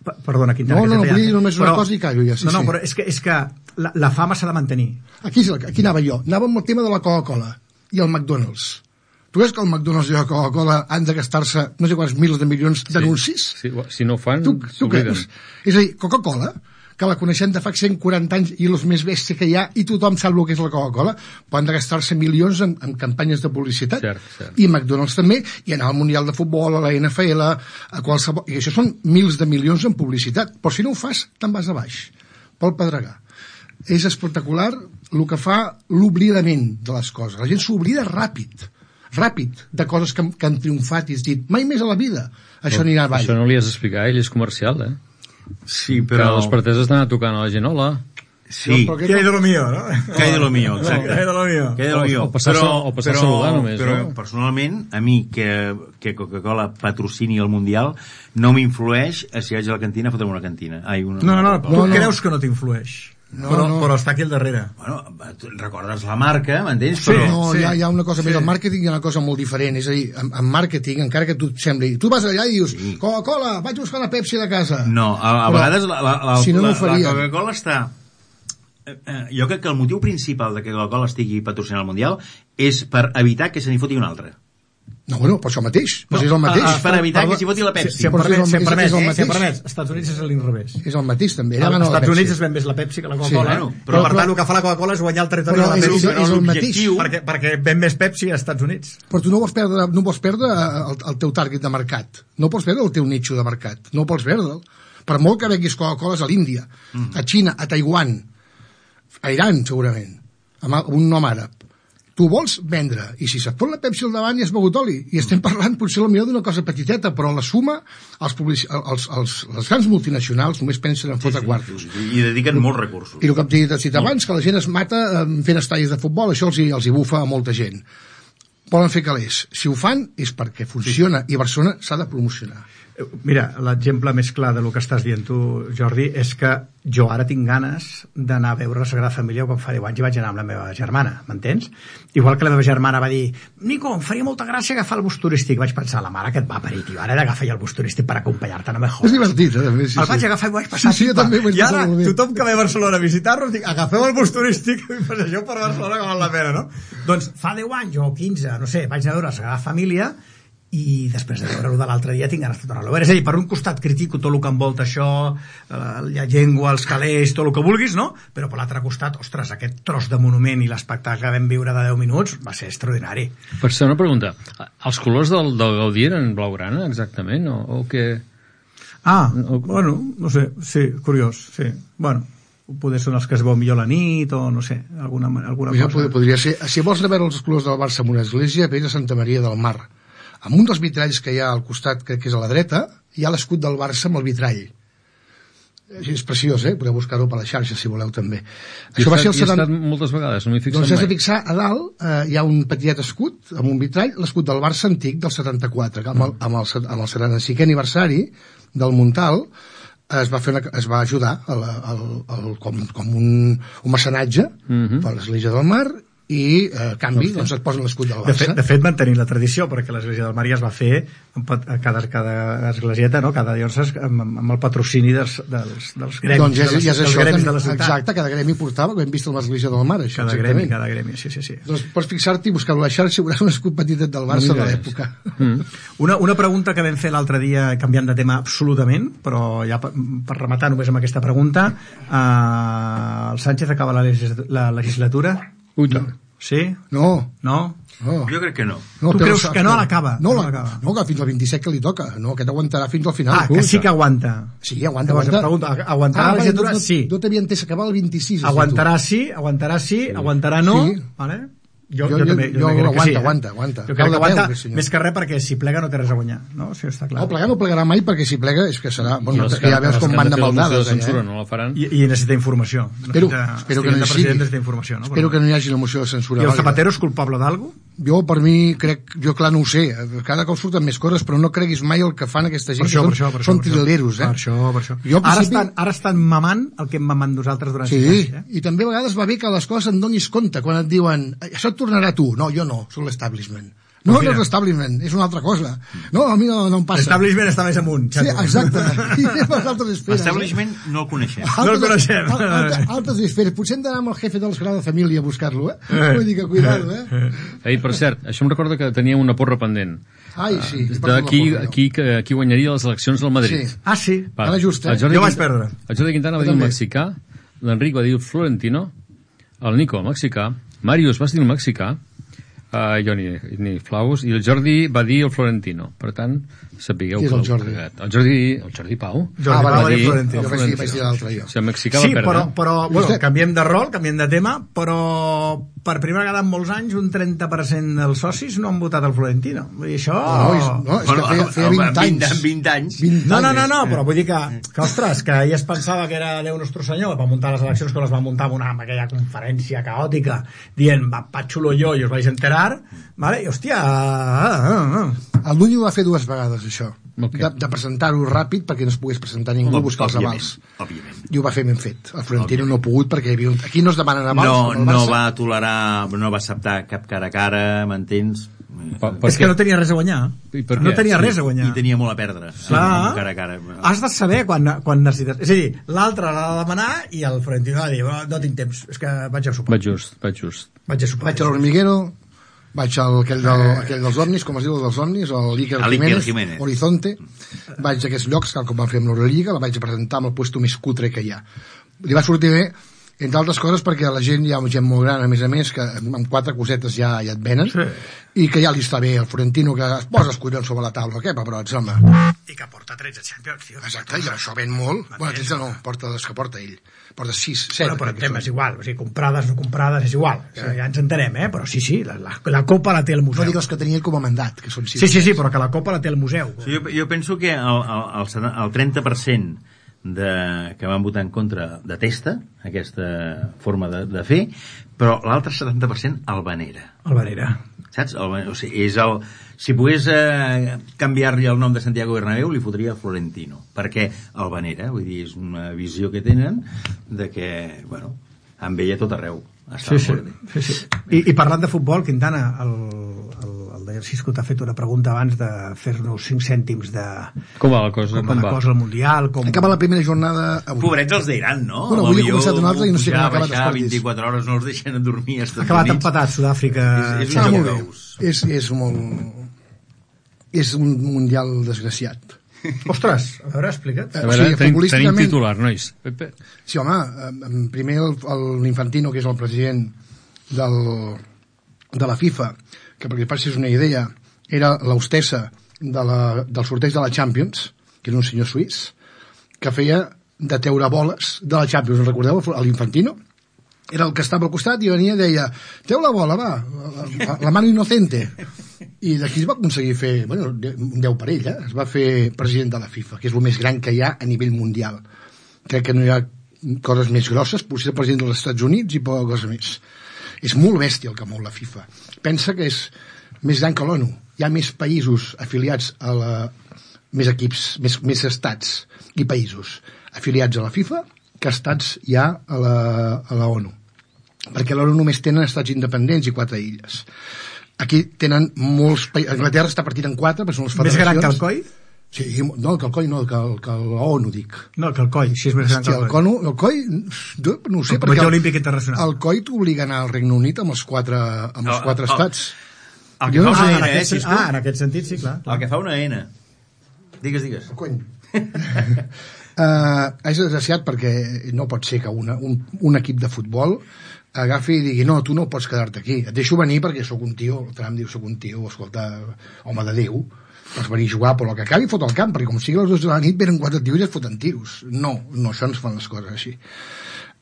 [SPEAKER 4] Perdona, Quintana.
[SPEAKER 7] No, vull dir només una cosa i callo ja.
[SPEAKER 4] No, però és que la fama s'ha de mantenir.
[SPEAKER 7] Aquí anava jo. Anava amb el tema de la Coca-Cola i el McDonald's. Tu veus que el McDonald's i la Coca-Cola han de gastar-se no sé quants mils de milions d'anuncis?
[SPEAKER 6] Sí, si no ho fan,
[SPEAKER 7] s'obliden. És a dir, Coca-Cola, que la coneixem de fa 140 anys i els més bèstia que hi ha, i tothom sap el que és la Coca-Cola, poden gastar-se milions en campanyes de publicitat.
[SPEAKER 6] Cert.
[SPEAKER 7] I McDonald's també, i anar al Mundial de Futbol, a la NFL, a qualsevol... I això són mils de milions en publicitat. Però si no ho fas, te'n vas a baix, pel pedregar. És espectacular el que fa l'oblidament de les coses. La gent s'oblida ràpid de coses que han triomfat i has dit, mai més a la vida això anirà avall.
[SPEAKER 6] Això no li has d'explicar, ell és comercial,
[SPEAKER 5] Sí, però...
[SPEAKER 6] Que les parteses estan tocant a la gent, hola.
[SPEAKER 5] Sí.
[SPEAKER 4] ¿Qué hay de lo mío, no?
[SPEAKER 5] ¿Qué hay de lo mío? Exacte.
[SPEAKER 4] ¿Qué hay de lo mío?
[SPEAKER 5] ¿Qué hay de lo mío?
[SPEAKER 6] O passar a saludar només,
[SPEAKER 5] però
[SPEAKER 6] no?
[SPEAKER 5] Personalment, a mi que Coca-Cola patrocini el Mundial no m'influeix si vaig a la cantina a fotre'm una cantina.
[SPEAKER 4] No, tu creus que no t'influeix. Però està aquí al darrere.
[SPEAKER 5] Bueno, recordes la marca, m'entens?
[SPEAKER 7] Sí, però... hi ha una cosa més. El màrqueting hi ha una cosa molt diferent. És a dir, en màrqueting, encara que tu et sembli... Tu vas allà i dius, Coca-Cola, vaig buscar una Pepsi de casa.
[SPEAKER 5] No, a vegades la Coca-Cola està... Jo crec que el motiu principal de que Coca-Cola estigui patrocinant el Mundial és per evitar que se n'hi foti un altre.
[SPEAKER 7] No, bueno, per això mateix. Però és el mateix.
[SPEAKER 5] És per evitar que s'hi voti la Pepsi.
[SPEAKER 4] Si em permets, als Estats Units és l'inrevés.
[SPEAKER 7] És el mateix, també.
[SPEAKER 4] Als Estats Units es ven més la Pepsi que la Coca-Cola. Però per tant, el que fa la Coca-Cola és guanyar el territori de la Pepsi.
[SPEAKER 7] És el mateix.
[SPEAKER 4] Perquè ven més Pepsi als Estats Units.
[SPEAKER 7] Però tu no vols perdre el teu target de mercat. No pots perdre el teu nicho de mercat. No pots perdre'l. Per molt que venguis Coca-Cola a l'Índia, a Xina, a Taiwan, a Iran, segurament, amb un nom àrab. Tu vols vendre, i si se't pot la Pepsi al davant i has begut oli, i estem parlant potser potser d'una cosa petiteta, però la suma, les grans multinacionals només pensen en fotre quartos.
[SPEAKER 5] I dediquen molts recursos.
[SPEAKER 7] I el que hem dit abans, que la gent es mata fent estadis de futbol, això els hi bufa a molta gent. Volen fer calés. Si ho fan és perquè funciona, i Barcelona s'ha de promocionar.
[SPEAKER 4] Mira, l'exemple més clar del que estàs dient tu, Jordi, és que jo ara tinc ganes d'anar a veure la Sagrada Família quan fa 10 anys i vaig anar amb la meva germana, m'entens? Igual que la meva germana va dir, Nico, em faria molta gràcia agafar el bus turístic. Vaig pensar, la mare que et va parir, tio, ara he d'agafar ja el bus turístic per acompanyar-te, no me jodes.
[SPEAKER 7] És divertit, també.
[SPEAKER 4] El vaig agafar i vaig passar.
[SPEAKER 7] Sí, també
[SPEAKER 4] I ara tothom que ve a Barcelona a visitar-nos dic, agafeu el bus turístic i passegeu per Barcelona que val la pena, no? Doncs fa 10 anys o 15, no sé, vaig anar a veure la Sagrada Família i després de veure-ho de l'altre dia tinc ganes de tornar-lo a veure. És a dir, per un costat critico tot el que envolta això, la llengua, els calés, tot el que vulguis, no? Però per l'altre costat, ostres, aquest tros de monument i l'espectacle que vam viure de 10 minuts va ser extraordinari.
[SPEAKER 6] Per ser una pregunta, els colors del Gaudí eren blaugrana, exactament, o què?
[SPEAKER 4] Bueno, no sé, sí, curiós, sí. Bueno, poder són els que es veu millor la nit o no sé, alguna cosa.
[SPEAKER 7] Podria ser. Si vols anar a veure els colors del Barça en una església, vés a Santa Maria del Mar. Amb un dels vitralls que hi ha al costat, que és a la dreta, hi ha l'escut del Barça amb el vitrall. És preciós, podeu buscar-ho per la xarxa si voleu també.
[SPEAKER 6] Això va ser el 70... moltes vegades, no m'hi fixat mai.
[SPEAKER 7] Doncs has de fixar, a dalt hi ha un petitet escut amb un vitrall, l'escut del Barça antic del 74, que amb el 75è aniversari del Muntal es va ajudar com un mecenatge per l'Església del Mar i a canvi doncs et posen l'escut del Barça.
[SPEAKER 4] De fet mantenint la tradició, perquè l'Església del Mar ja es va fer cada esglésieta, no? Cada diòcesi amb el patrocini dels gremis,
[SPEAKER 7] doncs ja és
[SPEAKER 4] dels gremis de la ciutat.
[SPEAKER 7] Exacte, cada gremi portava, ho hem vist a l'Església del Mar, això.
[SPEAKER 4] Cada gremi, sí.
[SPEAKER 7] Doncs pots fixar-te i buscar-ho a la xarxa i veuràs un escut petitet del Barça de l'època.
[SPEAKER 4] Una pregunta que vam fer l'altre dia, canviant de tema absolutament, però ja per rematar només amb aquesta pregunta, el Sánchez acaba la legislatura? Sí?
[SPEAKER 7] No.
[SPEAKER 5] Jo crec que no.
[SPEAKER 4] Tu creus que no l'acaba?
[SPEAKER 7] No, que fins al 27 que li toca. No, aquest aguantarà fins al final.
[SPEAKER 4] Que sí que aguanta.
[SPEAKER 7] Sí, aguanta.
[SPEAKER 4] Aguantarà la legislatura? Sí.
[SPEAKER 7] No t'havia entès, acabar el 26.
[SPEAKER 4] Aguantarà sí, aguantarà no. Vale? Jo també crec que sí.
[SPEAKER 7] Aguanta.
[SPEAKER 4] Jo crec que aguanta, més que res, perquè si plega no té res a guanyar, no? Això està clar.
[SPEAKER 7] No, plegar no plegarà mai, perquè si plega és que serà... Bueno, ja veus com van de maldades,
[SPEAKER 6] allà. No la faran.
[SPEAKER 4] I necessita informació.
[SPEAKER 7] Espero que no hi sigui. Espero que no hi hagi la moció de censura.
[SPEAKER 4] I el Zapatero és culpable d'algú?
[SPEAKER 7] Jo, per mi, clar, no ho sé. Cada cop surten més coses, però no creguis mai el que fan aquesta gent. Són trileros,
[SPEAKER 4] Per això. Ara estan mamant el que hem mamant nosaltres durant 5 anys.
[SPEAKER 7] I també a vegades va bé que les coses en donis compte, quan et diuen això et tornarà a tu. No, jo no, soc l'establishment. No és l'establishment, és una altra cosa. No, a mi no em passa.
[SPEAKER 4] L'establishment està més amunt.
[SPEAKER 7] Sí, exacte. I anem als altres esferes.
[SPEAKER 5] L'establishment no el coneixem.
[SPEAKER 4] No el coneixem.
[SPEAKER 7] Altres esferes. Potser hem d'anar amb el jefe de la Sagrada Família a buscar-lo, Vull dir que cuidado,
[SPEAKER 6] Ei, per cert, això em recorda que tenia una porra pendent.
[SPEAKER 7] Ai, sí.
[SPEAKER 6] Qui guanyaria les eleccions del Madrid.
[SPEAKER 7] Sí.
[SPEAKER 4] Ah, sí?
[SPEAKER 7] Ara just,
[SPEAKER 4] Jo vaig perdre.
[SPEAKER 6] El Jordi Quintana va dir el mexicà, l'Enric va dir el florentino, el Nico el mexicà, Màrius va dir el mexicà, jo ni flaus, i el Jordi va dir el florentino. Per tant, sapigueu
[SPEAKER 7] que el Jordi?
[SPEAKER 6] El Jordi Pau.
[SPEAKER 7] Va dir florentino. Jo vaig dir l'altre, jo.
[SPEAKER 6] Si el mexicà va perdre.
[SPEAKER 4] Però bueno, canviem de rol, canviem de tema, però per primera vegada en molts anys un 30% dels socis no han votat el Florentino. Vull dir, això...
[SPEAKER 7] No, és que feia 20 anys.
[SPEAKER 5] 20 anys.
[SPEAKER 4] No, però vull dir que ostres, que ell es pensava que era Déu Nostre Senyor, va muntar les eleccions que les va muntar amb aquella conferència caòtica, dient, va xulo jo, i us vais enterar, vale? I hòstia...
[SPEAKER 7] El Núñez ho va fer 2 vegades, això. Okay. De presentar-ho ràpid perquè no es pogués presentar ningú a buscar els avals. I ho va fer ben fet. El Florentino no ha pogut perquè aquí no es demanen avals.
[SPEAKER 5] No va tolerar, no va acceptar cap cara a cara, m'entens?
[SPEAKER 4] És que no tenia res a guanyar. No tenia res a guanyar.
[SPEAKER 5] I tenia molt a perdre.
[SPEAKER 4] Cara a cara. Has de saber quan necessites. És a dir, l'altre l'ha de demanar i el Florentino va dir, no tinc temps, és que vaig a sopar.
[SPEAKER 6] Vaig just.
[SPEAKER 7] Vaig a l'Hormiguero, vaig a aquell dels ovnis, com es diu dels ovnis, el Iker Jiménez, Horizonte, vaig a aquests llocs, com van fer amb l'Eurolliga, la vaig a presentar amb el puesto més cutre que hi ha. Li va sortir bé, entre altres coses perquè la gent, hi ha gent molt gran, a més, que amb 4 cosetes ja et venen, i que ja li està bé el Florentino, que es posa els collons sobre la taula, què, pebrots, home.
[SPEAKER 4] I que porta 13 Champions, tio.
[SPEAKER 7] Exacte, i això ven molt. Bueno, 13 no, porta les que porta ell. Porta 6, 7.
[SPEAKER 4] Bueno, però el tema és igual, o sigui, comprades, no comprades, és igual. Sí. Ja ens entenem, però sí, la Copa la té el museu.
[SPEAKER 7] No digues que tenia ell com a mandat, que són 6.
[SPEAKER 4] Sí, però que la Copa la té el museu.
[SPEAKER 5] Sí, jo penso que el 30% que van votar en contra detesta aquesta forma de fer, però l'altre 70% el venera.
[SPEAKER 4] El venera.
[SPEAKER 5] Saps? O sigui, si pogués canviar-li el nom de Santiago Bernabéu, li fotria Florentino, perquè el venera, vull dir, és una visió que tenen de que, bueno, amb ell a tot arreu.
[SPEAKER 4] Sí. I parlant de futbol, Quintana, el Cisco t'ha fet una pregunta abans de fer-nos 5 cèntims de...
[SPEAKER 6] Com va la cosa?
[SPEAKER 4] Com va la cosa al Mundial?
[SPEAKER 7] Acaba la primera jornada...
[SPEAKER 5] Pobrets els d'Iran, no?
[SPEAKER 7] Bueno, avui ha començat una altra i no sé com ha acabat els
[SPEAKER 5] partits. 24 hores no els deixen dormir als Estats Units.
[SPEAKER 4] Acabat empatat, Sud-àfrica...
[SPEAKER 7] És un Mundial desgraciat.
[SPEAKER 4] Ostres, a veure, explica't.
[SPEAKER 6] Tenim titular, nois.
[SPEAKER 7] Sí, home, primer l'Infantino, que és el president de la FIFA, que perquè passis una idea, era l'hostessa del sorteig de la Champions, que és un senyor suís, que feia de teure boles de la Champions. Us recordeu, l'Infantino? Era el que estava al costat i venia i deia, treu la bola, va, la mano inocente. I d'aquí es va aconseguir fer, bueno, un 10 per ell, es va fer president de la FIFA, que és el més gran que hi ha a nivell mundial. Crec que no hi ha coses més grosses, potser el president dels Estats Units i poca cosa més. És molt bèstia el que mou la FIFA. Pensa que és més gran que l'ONU. Hi ha més països afiliats més equips, més estats i països afiliats a la FIFA que estats hi ha a la ONU. Perquè l'ONU només tenen estats independents i 4 illes. Aquí tenen molts països. Anglaterra està partida en 4, perquè són les federacions.
[SPEAKER 4] Més gran que el COI?
[SPEAKER 7] Sí, no, que el COI no, que l'ONU, dic.
[SPEAKER 4] No, que el COI, sí és més gran que el COI.
[SPEAKER 7] El COI, no ho sé, perquè
[SPEAKER 4] Olímpic Internacional.
[SPEAKER 7] El COI t'obliga a anar al Regne Unit amb els 4 estats.
[SPEAKER 5] El que fa una N,
[SPEAKER 4] Cisco? En aquest sentit, sí, clar.
[SPEAKER 5] El que fa una N. Digues.
[SPEAKER 7] Cony. És desgraciat perquè no pot ser que un equip de futbol agafi i digui, no, tu no pots quedar-te aquí, et deixo venir perquè sóc un tio, el Trump diu, sóc un tio, escolta, home de Déu, pots venir a jugar, però el que acabi fot al camp, perquè com sigui a les 2 de la nit venen 4 tios i es foten tiros. No, això no es fan les coses així.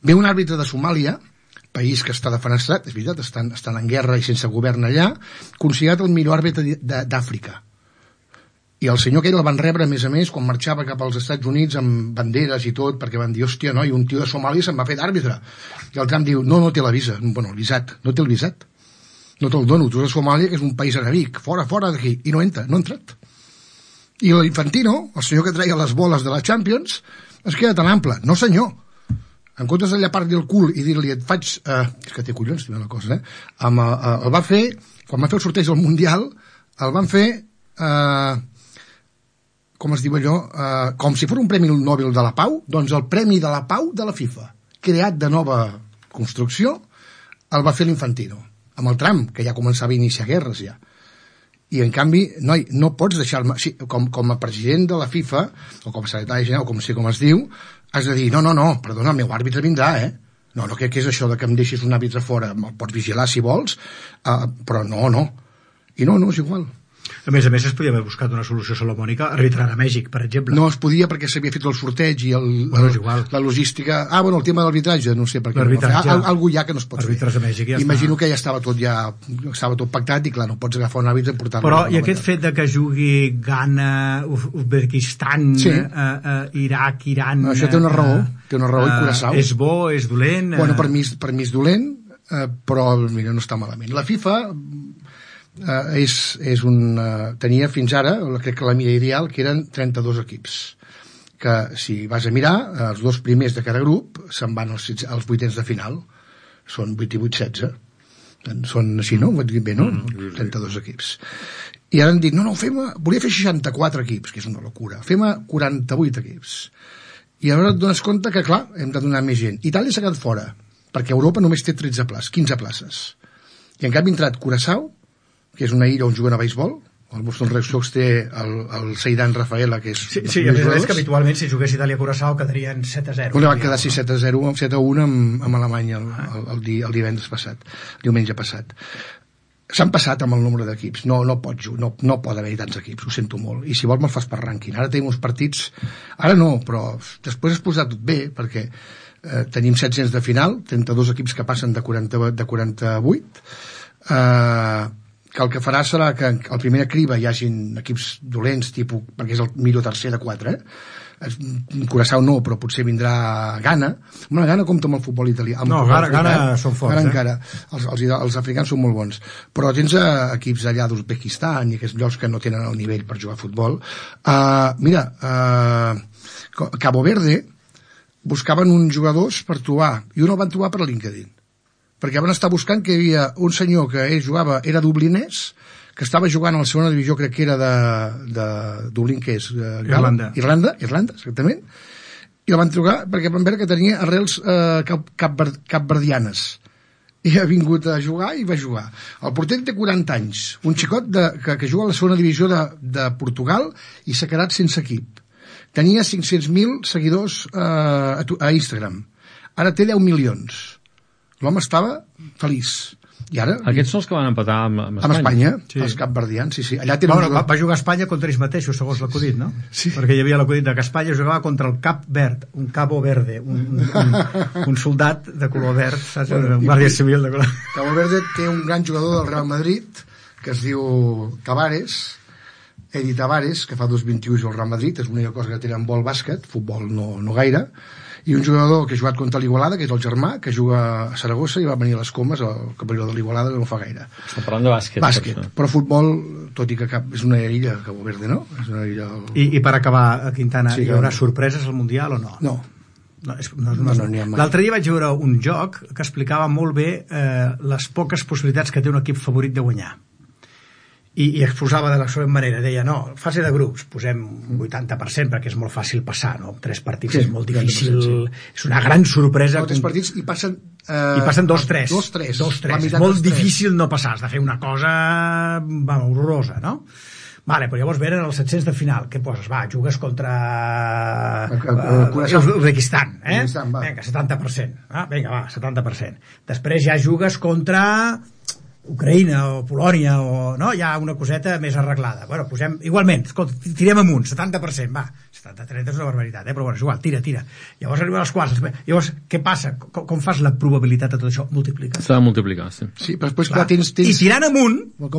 [SPEAKER 7] Ve un àrbitre de Somàlia, país que està defenestrat, és veritat, estan en guerra i sense govern allà, considerat el millor àrbitre d'Àfrica. I el senyor aquell el van rebre, a més, quan marxava cap als Estats Units amb banderes i tot, perquè van dir, hòstia, no, i un tio de Somàlia se'n va fer d'àrbitre. I el Trump diu, no té la visa. Bueno, el visat, no té el visat. No te'l dono, tu de Somàlia, que és un país arabic, fora d'aquí. I no entra, no ha entrat. I l'Infantino, el senyor que treia les boles de la Champions, es queda tan ample. No, senyor. En comptes de llapar-li el cul i dir-li, et faig... és que té collons, també la cosa, el va fer, quan va fer el sorteig del Mundial, el van fer... com es diu allò, com si fos un Premi Nobel de la Pau, doncs el Premi de la Pau de la FIFA, creat de nova construcció, el va fer l'Infantino, amb el Trump, que ja començava a iniciar guerres ja. I en canvi, noi, no pots deixar-me... Sí, com a president de la FIFA, o com a secretari general, o com sé com es diu, has de dir, no, perdona, el meu àrbitre vindrà, No, què és això de que em deixis un àrbitre fora? Me'l pots vigilar si vols, però no. I no, és igual.
[SPEAKER 4] A més, es podia haver buscat una solució salomònica arbitrant a Mèxic, per exemple.
[SPEAKER 7] No es podia perquè s'havia fet el sorteig i la logística... el tema de l'arbitratge, no sé per què. Algú ja que no es pot fer.
[SPEAKER 4] A Mèxic,
[SPEAKER 7] imagino que ja estava tot pactat i clar, no pots agafar un àrbitre i portar-lo.
[SPEAKER 4] Però i aquest fet de que jugui Ghana, Uzbekistan, Iraq, Iran...
[SPEAKER 7] Això té una raó i Curaçao.
[SPEAKER 4] És bo, és dolent...
[SPEAKER 7] Bueno, per mi és dolent, però mira, no està malament. La FIFA... tenia fins ara, crec que la mida ideal, que eren 32 equips, que si vas a mirar, els dos primers de cada grup se'n van als 8ens de final, són 8 i 8, 16, són així, no? Ho he dit bé, no? 32 equips. I ara han dit, volia fer 64 equips, que és una locura, fem 48 equips. I ara et dones compte que, clar, hem de donar més gent. Itàlia s'ha quedat fora, perquè Europa només té 15 places. I en canvi ha entrat Curaçao, que és una illa on juguen a beisbol. El Boston Red Sox té el Seidan Rafaela, que és...
[SPEAKER 4] Sí, a més que habitualment si jugués Itàlia-Curaçao quedarien 7-0.
[SPEAKER 7] Van quedar 7-0, 7-1 amb Alemanya el divendres passat, diumenge passat. S'han passat amb el nombre d'equips. No pot haver-hi tants equips, ho sento molt. I si vols me'l fas per rànquing. Ara tenim uns partits... Ara no, però després es posat tot bé, perquè tenim 700 de final, 32 equips que passen de 48, que el que farà serà que el primer criba hi hagin equips dolents, perquè és el millor tercer de 4, Curaçao no, però potser vindrà Ghana. Ghana compta amb el futbol italià.
[SPEAKER 4] Ghana són forts.
[SPEAKER 7] Encara. Els africans són molt bons. Però tens equips allà d'Uzbekistan i aquests llocs que no tenen el nivell per jugar a futbol. Cabo Verde buscaven uns jugadors per trobar, i un el van trobar per LinkedIn, perquè van estar buscant que hi havia un senyor que era dublinès, que estava jugant a la segona divisió, crec que era de Dublín, que és Irlanda, exactament, i el van trucar perquè van veure que tenia arrels capverdianes, i ha vingut a jugar i va jugar. El porter té 40 anys, un xicot que juga a la segona divisió de Portugal i s'ha quedat sense equip. Tenia 500.000 seguidors a Instagram, ara té 10 milions. L'home estava feliç. I ara...
[SPEAKER 6] Aquests són els que van empatar amb
[SPEAKER 7] Espanya. Sí. Els capverdians, sí. Allà
[SPEAKER 4] va jugar a Espanya contra ells mateixos, segons l'acudit, no?
[SPEAKER 7] Sí.
[SPEAKER 4] Perquè hi havia l'acudit que Espanya jugava contra el Cap Verd, un Cabo Verde, un soldat de color verd, saps? Un guàrdia civil de color...
[SPEAKER 7] Cabo Verde té un gran jugador del Real Madrid, que es diu Edi Tavares, que fa 2-21 al Real Madrid, és l'única cosa que tenen vol bàsquet, futbol no gaire, i un jugador que ha jugat contra l'Igualada, que és el germà, que juga a Saragossa i va venir a les Comes, el campió de l'Igualada, que no fa gaire.
[SPEAKER 6] Està parlant de bàsquet.
[SPEAKER 7] Però futbol, tot i que és una illa, Cabo Verde, no? És una illa...
[SPEAKER 4] I per acabar, Quintana, hi haurà sorpreses al Mundial o no?
[SPEAKER 7] No.
[SPEAKER 4] L'altre dia vaig veure un joc que explicava molt bé les poques possibilitats que té un equip favorit de guanyar. I exposava de la següent manera, deia, no, fase de grups, posem un 80% perquè és molt fàcil passar, no? 3 partits és molt difícil, és una gran sorpresa.
[SPEAKER 7] 3 partits i passen...
[SPEAKER 4] I passen 2-3.
[SPEAKER 7] 2-3.
[SPEAKER 4] És molt difícil no passar, has de fer una cosa horrorosa, no? Vale, però llavors venen els 700 de final. Què poses? Va, jugues contra Uzbekistan, Vinga, 70%. Vinga, va, 70%. Després ja jugues contra Ucraïna o Polònia, o, no? Hi ha una coseta més arreglada. Bueno, posem, igualment, escolta, tirem amunt, 70%, va, 70-30 és una barbaritat, però bueno, és igual, tira. Llavors arriben als quarts. Llavors, què passa? Com fas la probabilitat de tot això? Multipliques.
[SPEAKER 6] S'ha de multiplicar, sí.
[SPEAKER 7] Sí, però després, clar, tens...
[SPEAKER 4] I tirant amunt, et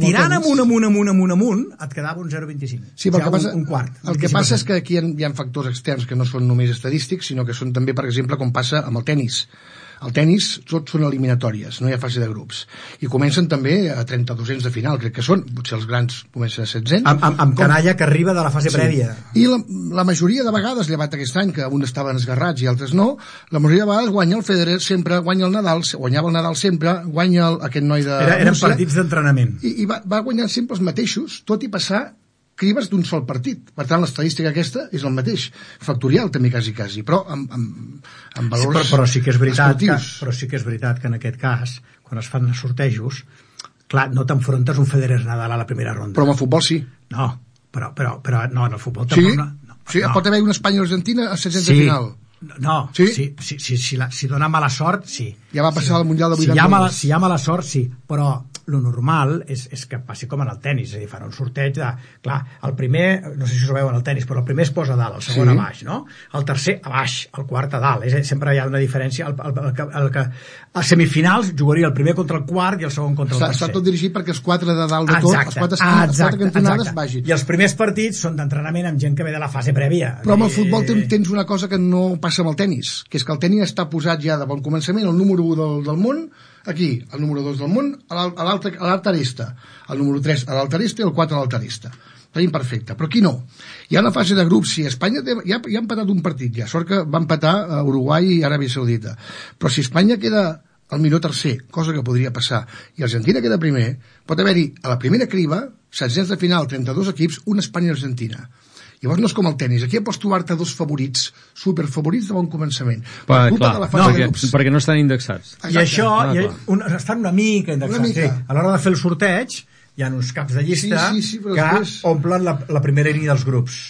[SPEAKER 4] quedava un 0,25.
[SPEAKER 7] Sí, però
[SPEAKER 4] un quart.
[SPEAKER 7] El que passa és que aquí hi ha factors externs que no són només estadístics, sinó que són també, per exemple, com passa amb el tenis. Al tenis tots són eliminatòries, no hi ha fase de grups. I comencen també a 3200 de final, crec que són, potser els grans comencen a 700.
[SPEAKER 4] Amb canalla que arriba de la fase prèvia.
[SPEAKER 7] I la majoria de vegades, llevat aquest any, que uns estaven esgarrats i altres no, la majoria de vegades guanya el Federer sempre, guanya el Nadal, guanyava el Nadal sempre, guanya aquest noi de
[SPEAKER 4] Eren
[SPEAKER 7] Rússia,
[SPEAKER 4] partits d'entrenament.
[SPEAKER 7] I va guanyant sempre els mateixos, tot i passar crives d'un sol partit. Per tant, l'estadística aquesta és el mateix. Factorial, també, quasi. Però amb valors
[SPEAKER 4] però sí que és veritat
[SPEAKER 7] esportius.
[SPEAKER 4] que en aquest cas, quan es fan sortejos, clar, no t'enfrontes un Federer-Nadal a la primera ronda.
[SPEAKER 7] Però amb el futbol sí.
[SPEAKER 4] No, però no, en el futbol
[SPEAKER 7] sí?
[SPEAKER 4] tampoc.
[SPEAKER 7] Sí, pot haver una Espanya-Argentina a 700 de final.
[SPEAKER 4] No,
[SPEAKER 7] sí?
[SPEAKER 4] Si dona mala sort, sí.
[SPEAKER 7] Ja va passar al Mundial de 82.
[SPEAKER 4] Si hi ha mala sort, sí, però lo normal és que passi com en el tenis, és a dir, fan un sorteig de... Clar, el primer, no sé si us ho veu en el tenis, però el primer es posa a dalt, el segon a baix, no? El tercer a baix, el quart a dalt. Sempre hi ha una diferència. A semifinals jugaria el primer contra el quart i el segon contra el tercer.
[SPEAKER 7] Està tot dirigit perquè els quatre de dalt de tot, els quatre cantonades vagin.
[SPEAKER 4] I els primers partits són d'entrenament amb gent que ve de la fase prèvia.
[SPEAKER 7] Però amb el futbol tens una cosa que no passa amb el tenis, que és que el tenis està posat ja de bon començament, el número 1 del món, aquí, el número 2 del món, a l'altra aresta, el número 3 a l'altra aresta i el 4 a l'altra aresta. Tenim perfecte, però aquí no. Hi ha una fase de grups, si Espanya ja ha empatat un partit, ja, sort que va empatar a Uruguai i Aràbia Saudita, però si Espanya queda el millor tercer, cosa que podria passar, i Argentina queda primer, pot haver-hi a la primera criba, 700 de final, 32 equips, una Espanya i Argentina. Llavors no és com el tenis, aquí pots trobar-te dos favorits, superfavorits de bon començament.
[SPEAKER 6] Perquè no estan indexats.
[SPEAKER 4] I això, estan una mica indexats. Sí. A l'hora de fer el sorteig, hi ha uns caps de llista que omplen la primera línia dels grups.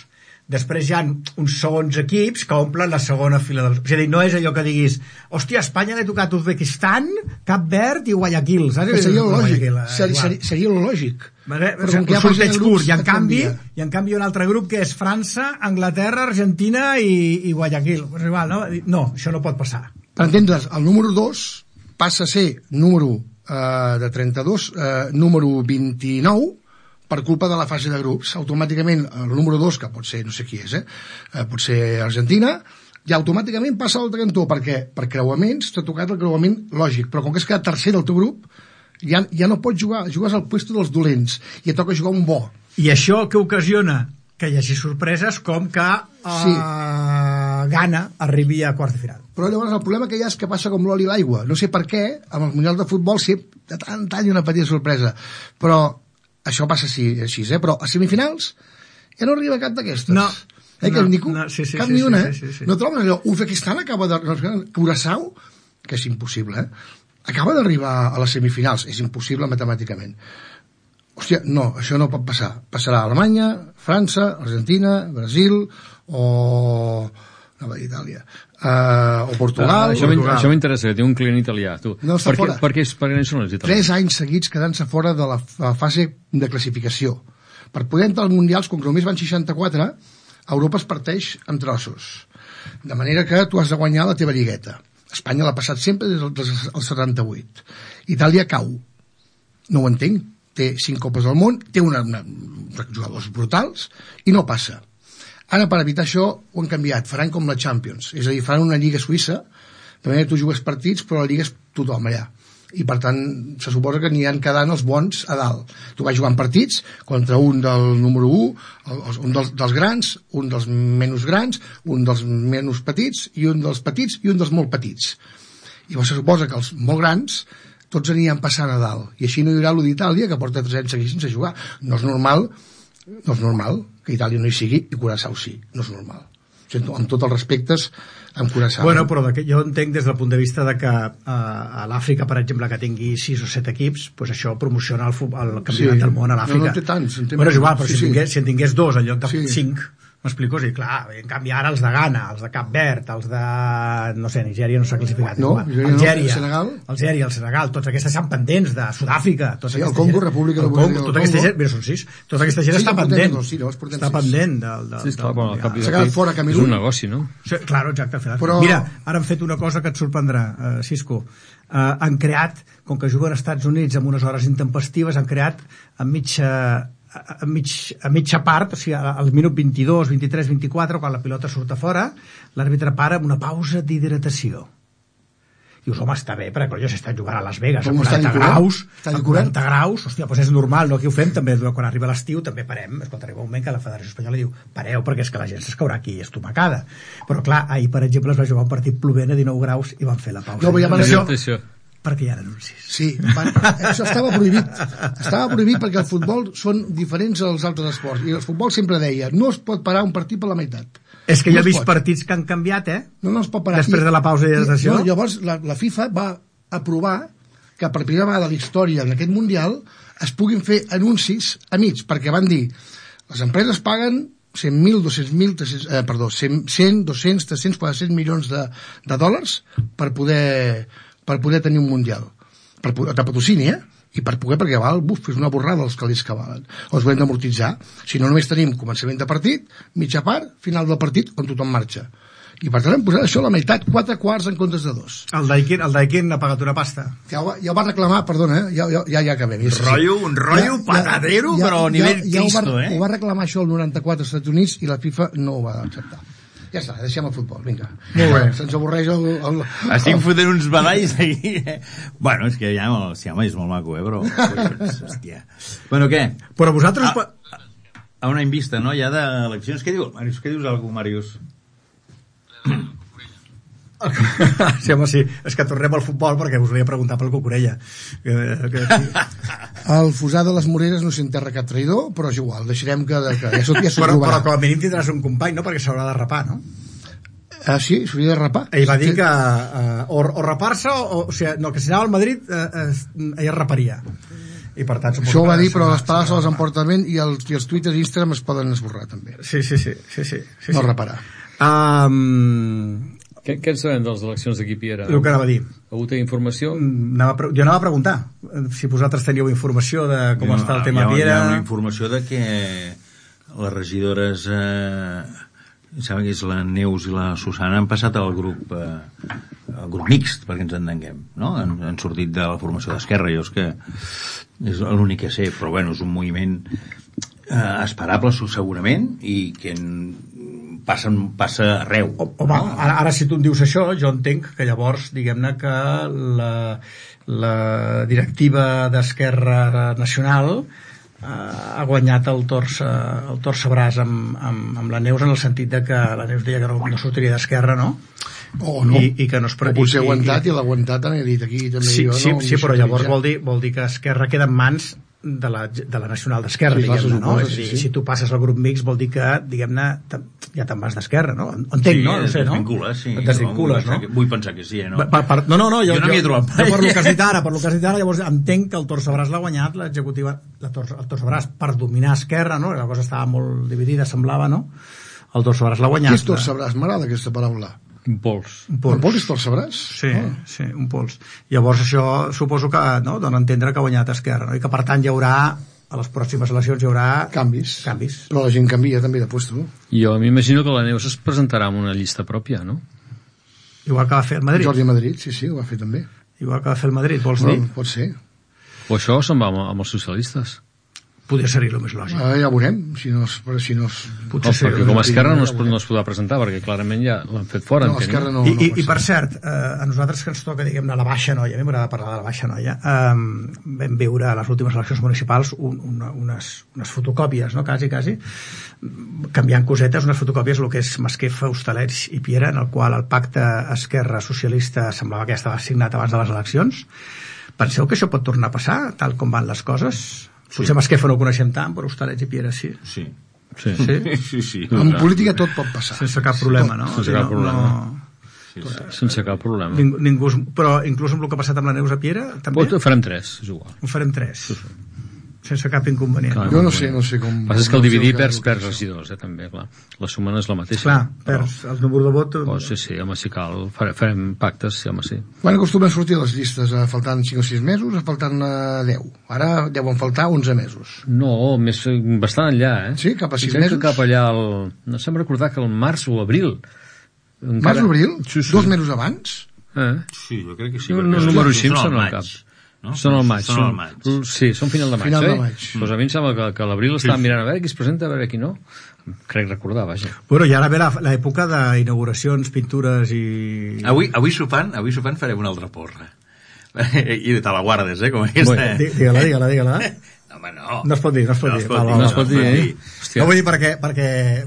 [SPEAKER 4] Després hi ha uns segons equips que omplen la segona fila dels... És a dir, no és allò que diguis hòstia, a Espanya l'he tocat Uzbekistan, Cap Verd i Guayaquil, saps?
[SPEAKER 7] Seria lo lògic. Seria lo lògic.
[SPEAKER 4] Un sorteig curt, i en canvi un altre grup que és França, Anglaterra, Argentina i Guayaquil. No, això no pot passar.
[SPEAKER 7] Per entendre's, el número 2 passa a ser número de 32, número 29, per culpa de la fase de grups. Automàticament el número 2, que pot ser, no sé qui és, pot ser Argentina, i automàticament passa a l'altre cantó, perquè per creuaments t'ha tocat el creuament lògic, però com que has quedat tercer del teu grup, ja no pots jugar, jugues al puesto dels dolents, i et toca jugar un bo.
[SPEAKER 4] I això què ocasiona? Que hi hagi sorpreses com que Ghana arribi a quarts de final.
[SPEAKER 7] Però llavors el problema que hi ha és que passa com l'oli i l'aigua. No sé per què, amb el Mundial de Futbol de tant hi ha una petita sorpresa, però això passa així, però a semifinals ja no arriba cap d'aquestes.
[SPEAKER 4] No.
[SPEAKER 7] Cap ni una, No trobes allò. Uzbekistan acaba de... Curaçao, que és impossible, acaba d'arribar a les semifinals. És impossible matemàticament. Hòstia, no, això no pot passar. Passarà Alemanya, França, Argentina, Brasil o... Nova Itàlia. O Portugal.
[SPEAKER 6] Això m'interessa, que té un client italià. Tu.
[SPEAKER 7] No està fora.
[SPEAKER 6] Per què no són els italians?
[SPEAKER 7] 3 anys seguits quedant-se fora de la fase de classificació. Per poder entrar als mundials, com que només van 64, Europa es parteix en trossos. De manera que tu has de guanyar la teva lligueta. Espanya l'ha passat sempre des del 78. Itàlia cau. No ho entenc. Té 5 copes del món, té jugadors brutals i no passa. Ara, per evitar això, ho han canviat. Faran com la Champions. És a dir, faran una lliga suïssa, de manera que tu jugues partits, però la lliga és tothom allà. I, per tant, se suposa que aniran quedant els bons a dalt. Tu vas jugant partits contra un del número 1, un dels grans, un dels menys grans, un dels menys petits, i un dels petits, i un dels molt petits. I llavors se suposa que els molt grans tots aniran passant a dalt. I així no hi haurà l'1 d'Itàlia, que porta 3 anys seguits sense jugar. No és normal que Itàlia no hi sigui i Curaçao sí. No és normal. Amb tots els respectes amb Curaçao.
[SPEAKER 4] Bueno, però jo entenc des del punt de vista de que a l'Àfrica, per exemple, que tingui 6 o 7 equips, doncs això promociona el campionat del món a l'Àfrica.
[SPEAKER 7] No té tants.
[SPEAKER 4] Bueno, és igual, però si en tingués 2 en lloc de 5, M'explico? Sí, clar, en canvi ara els de Ghana, els de Cap Verd, els de... no sé, Nigèria no s'ha classificat.
[SPEAKER 7] No,
[SPEAKER 4] Algèria,
[SPEAKER 7] Senegal.
[SPEAKER 4] Algèria, el Senegal, tots aquests estan pendents de Sud-àfrica.
[SPEAKER 7] Sí, el Congo, República Democràtica del
[SPEAKER 4] Tota aquesta gent, mira, són 6, tota aquesta gent està pendent. Està pendent del...
[SPEAKER 6] Sí, esclar, quan al cap
[SPEAKER 7] s'ha quedat fora Camerún.
[SPEAKER 6] És un negoci, no?
[SPEAKER 4] Sí, claro, exacte.
[SPEAKER 7] Però...
[SPEAKER 4] Mira, ara han fet una cosa que et sorprendrà, Cisco. Han creat, com que juguen als Estats Units amb unes hores intempestives, han creat a mitja part, o sigui, al minut 22, 23, 24, quan la pilota surt a fora, l'àrbitre para amb una pausa d'hidratació. Dius, home, està bé, perquè jo s'està jugant a Las Vegas a 40 graus, hòstia, doncs és normal, no? Aquí ho fem també, quan arriba l'estiu també parem, escolta, arriba un moment que la Federació Espanyola diu, pareu, perquè és que la gent s'escaurà aquí estomacada. Però clar, ahir, per exemple, es va jugar un partit plovent a 19 graus i van fer la pausa.
[SPEAKER 7] No,
[SPEAKER 4] perquè hi ha anuncis.
[SPEAKER 7] Sí, això estava prohibit. Estava prohibit perquè el futbol són diferents als altres esports. I el futbol sempre deia, no es pot parar un partit per la meitat.
[SPEAKER 4] És que jo he vist partits que han canviat,
[SPEAKER 7] No es pot parar.
[SPEAKER 4] Després de la pausa d'hidratació.
[SPEAKER 7] Llavors, la FIFA va aprovar que per primera vegada a la història en aquest Mundial es puguin fer anuncis a mig, perquè van dir, les empreses paguen 100, 200, 300, 400 milions de dòlars per poder tenir un Mundial. De patrocini, I per poder, perquè és una borrada els calés que valen. Els ho hem d'amortitzar. Si no, només tenim començament de partit, mitja part, final del partit, on tothom marxa. I per tant hem posat això a la meitat, 4 quarts en comptes de 2.
[SPEAKER 4] El Daikin ha pagat una pasta.
[SPEAKER 7] Ja ho va reclamar, perdona, ja acabem.
[SPEAKER 5] Un rotllo patadero, però a nivell Cristo,
[SPEAKER 7] Ho va reclamar això el 94 als Estats Units i la FIFA no ho va acceptar. Ja està, deixem el futbol, vinga.
[SPEAKER 4] Molt bé.
[SPEAKER 7] Se'ns avorreix el...
[SPEAKER 5] Estic fotent uns badalls aquí. Bueno, és que ja, sí, home, és molt maco, però... Hòstia. Bueno, què?
[SPEAKER 4] Però vosaltres...
[SPEAKER 5] A un any vista, no? Ja d'eleccions. Què dius, Màrius? Què dius algú, Màrius?
[SPEAKER 4] Sí, home, sí. És que tornem al futbol perquè us volia preguntar pel Cucurella.
[SPEAKER 7] El Fusà de les Moreres no s'enterra cap traïdor, però és igual, deixarem que ja s'ho
[SPEAKER 4] però com a mínim tindràs un company, no? Perquè s'haurà de rapar, no?
[SPEAKER 7] Sí, s'hauria de rapar.
[SPEAKER 4] Ell va dir que o rapar-se o sigui, no, que si anava al Madrid ell raparia. I per tant,
[SPEAKER 7] això ho va dir, però les paraules se les emporten ben i els Twitter i Instagram es poden esborrar també.
[SPEAKER 4] Sí.
[SPEAKER 7] No raparà.
[SPEAKER 6] Què en sabem de les eleccions d'aquí, Piera?
[SPEAKER 4] El que anava a dir.
[SPEAKER 6] Algú té informació?
[SPEAKER 4] Jo anava a preguntar si vosaltres teníeu informació de com està el tema Piera.
[SPEAKER 5] Hi ha una informació de que les regidores sembla que és la Neus i la Susana han passat al grup mixt, perquè ens entenguem, no? Han sortit de la formació d'Esquerra. Jo és que és l'únic que sé, però bueno, és un moviment esperable segurament i que passa arreu.
[SPEAKER 4] Home, ara si tu em dius això, jo entenc que llavors, diguem-ne que la directiva d'Esquerra Nacional ha guanyat el torç bràs amb la Neus, en el sentit de que la Neus deia que no sortiria d'Esquerra, no?
[SPEAKER 7] O no,
[SPEAKER 4] I que no es
[SPEAKER 7] o potser ha aguantat i l'ha aguantat han dit aquí també
[SPEAKER 4] sí,
[SPEAKER 7] jo,
[SPEAKER 4] sí, però llavors vol dir que Esquerra queda en mans de la Nacional d'Esquerra, diguem-ne, no? És a dir, si tu passes al grup mixt vol dir que, diguem-ne, ja te'n vas d'Esquerra, no? Entenc, no? No sé, no?
[SPEAKER 5] Et
[SPEAKER 4] desvincules, no?
[SPEAKER 5] Vull pensar que sí, no?
[SPEAKER 4] No, jo
[SPEAKER 5] no m'hi he trobat mai.
[SPEAKER 4] Per lo que has dit ara, llavors entenc que el torç bràs l'ha guanyat l'executiva, el torç bràs per dominar Esquerra, no? La cosa estava molt dividida, semblava, no? El torç bràs l'ha guanyat.
[SPEAKER 7] Què és torç bràs? M'agrada aquesta paraula.
[SPEAKER 6] Un pols.
[SPEAKER 7] Un pols és torç bràs?
[SPEAKER 4] Sí, un pols. Llavors això suposo que dona a entendre que ha guanyat Esquerra, no? I que per tant hi haurà, a les pròximes eleccions hi haurà
[SPEAKER 7] canvis. Però la gent canvia també de puesto.
[SPEAKER 6] Jo m'imagino que la Neus es presentarà amb una llista pròpia, no?
[SPEAKER 4] Igual que va fer el Madrid.
[SPEAKER 7] Jordi Madrid, sí, ho va fer també.
[SPEAKER 4] Igual que va fer el Madrid, vols dir?
[SPEAKER 7] Pot ser.
[SPEAKER 6] O això se'n va amb els socialistes.
[SPEAKER 4] Podria ser-hi el més lògic.
[SPEAKER 7] Ja veurem, si no
[SPEAKER 6] perquè com a Esquerra no es podrà presentar, perquè clarament ja l'han fet fora.
[SPEAKER 7] No, Esquerra no.
[SPEAKER 4] I per cert, a nosaltres que ens toca, diguem-ne, la Baixa Noia, a mi m'agrada parlar de la Baixa Noia, vam veure a les últimes eleccions municipals unes fotocòpies, no? Quasi, canviant cosetes, unes fotocòpies, el que és Masquefa, Hostalets i Piera, en el qual el pacte Esquerra Socialista semblava que ja estava signat abans de les eleccions. Penseu que això pot tornar a passar, tal com van les coses? Potser Masquefa no ho coneixem tant, però Hostalets i Piera sí.
[SPEAKER 5] Sí.
[SPEAKER 7] En política tot pot passar.
[SPEAKER 4] Sense cap problema, no?
[SPEAKER 6] Sense cap problema. Sense cap problema.
[SPEAKER 4] Però inclús amb el que ha passat amb la Neus a Piera, també?
[SPEAKER 6] Ho farem 3, és igual.
[SPEAKER 4] Ho farem 3. sense cap inconvenient.
[SPEAKER 7] Jo no sé com...
[SPEAKER 6] El que passa és que el dividir perds regidors, també, clar. La suma no és la mateixa.
[SPEAKER 4] Clar, perds el número de vot...
[SPEAKER 6] Sí, home, si cal, farem pactes, sí, home, sí.
[SPEAKER 7] Quan acostumen a sortir les llistes? Faltant 5 o 6 mesos, faltant 10. Ara deuen faltar 11 mesos.
[SPEAKER 6] No, bastant enllà,
[SPEAKER 7] Sí, cap a 6 mesos?
[SPEAKER 6] Cap allà, no sé recordar que el març o abril.
[SPEAKER 7] Març o abril?
[SPEAKER 6] Sí.
[SPEAKER 7] 2 mesos abans?
[SPEAKER 3] Sí, jo crec que sí.
[SPEAKER 6] El número 5 són al cap.
[SPEAKER 3] No?
[SPEAKER 6] Són al maig. Sí, són final de maig.
[SPEAKER 7] Final de maig.
[SPEAKER 6] Doncs a mi em sembla que a l'abril estàvem mirant a veure qui es presenta, a veure qui no. Crec recordar, vaja.
[SPEAKER 4] Bueno, i ara ve l'època d'inauguracions, pintures i...
[SPEAKER 5] Avui sopant farem una altra porra. I te la guardes, com aquesta.
[SPEAKER 4] Digue-la.
[SPEAKER 5] Home, no.
[SPEAKER 4] No es pot dir.
[SPEAKER 6] No es pot dir,
[SPEAKER 4] No vull dir perquè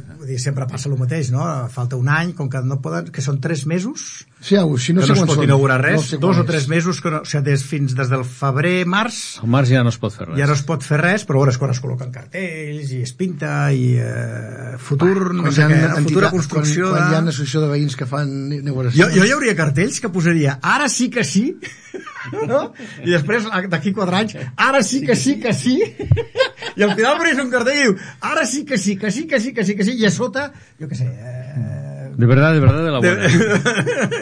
[SPEAKER 4] vull dir, sempre passa el mateix, no? Falta un any, com que no poden, que són 3 mesos,
[SPEAKER 7] Sí, si no
[SPEAKER 4] que
[SPEAKER 7] sé
[SPEAKER 4] no es
[SPEAKER 7] quan
[SPEAKER 4] pot
[SPEAKER 7] són.
[SPEAKER 4] inaugurar res,
[SPEAKER 7] No sé
[SPEAKER 4] 2 o
[SPEAKER 7] quan
[SPEAKER 4] 3
[SPEAKER 7] és.
[SPEAKER 4] mesos, que no, o sigui, des del febrer, març,
[SPEAKER 6] Al març ja no es pot fer res.
[SPEAKER 4] ja no es pot fer res, però és quan es col·loquen cartells i es pinta i futur, no sé què, futura construcció
[SPEAKER 7] quan hi ha
[SPEAKER 4] de...
[SPEAKER 7] una associació de veïns que fan inauguració.
[SPEAKER 4] Jo hi hauria cartells que posaria ara sí que sí, no? I després, d'aquí 4 anys, ara sí que sí, i al final apareix un cartell i diu ara sí que sí, i a sota, jo què sé...
[SPEAKER 6] De verdad, de la buena.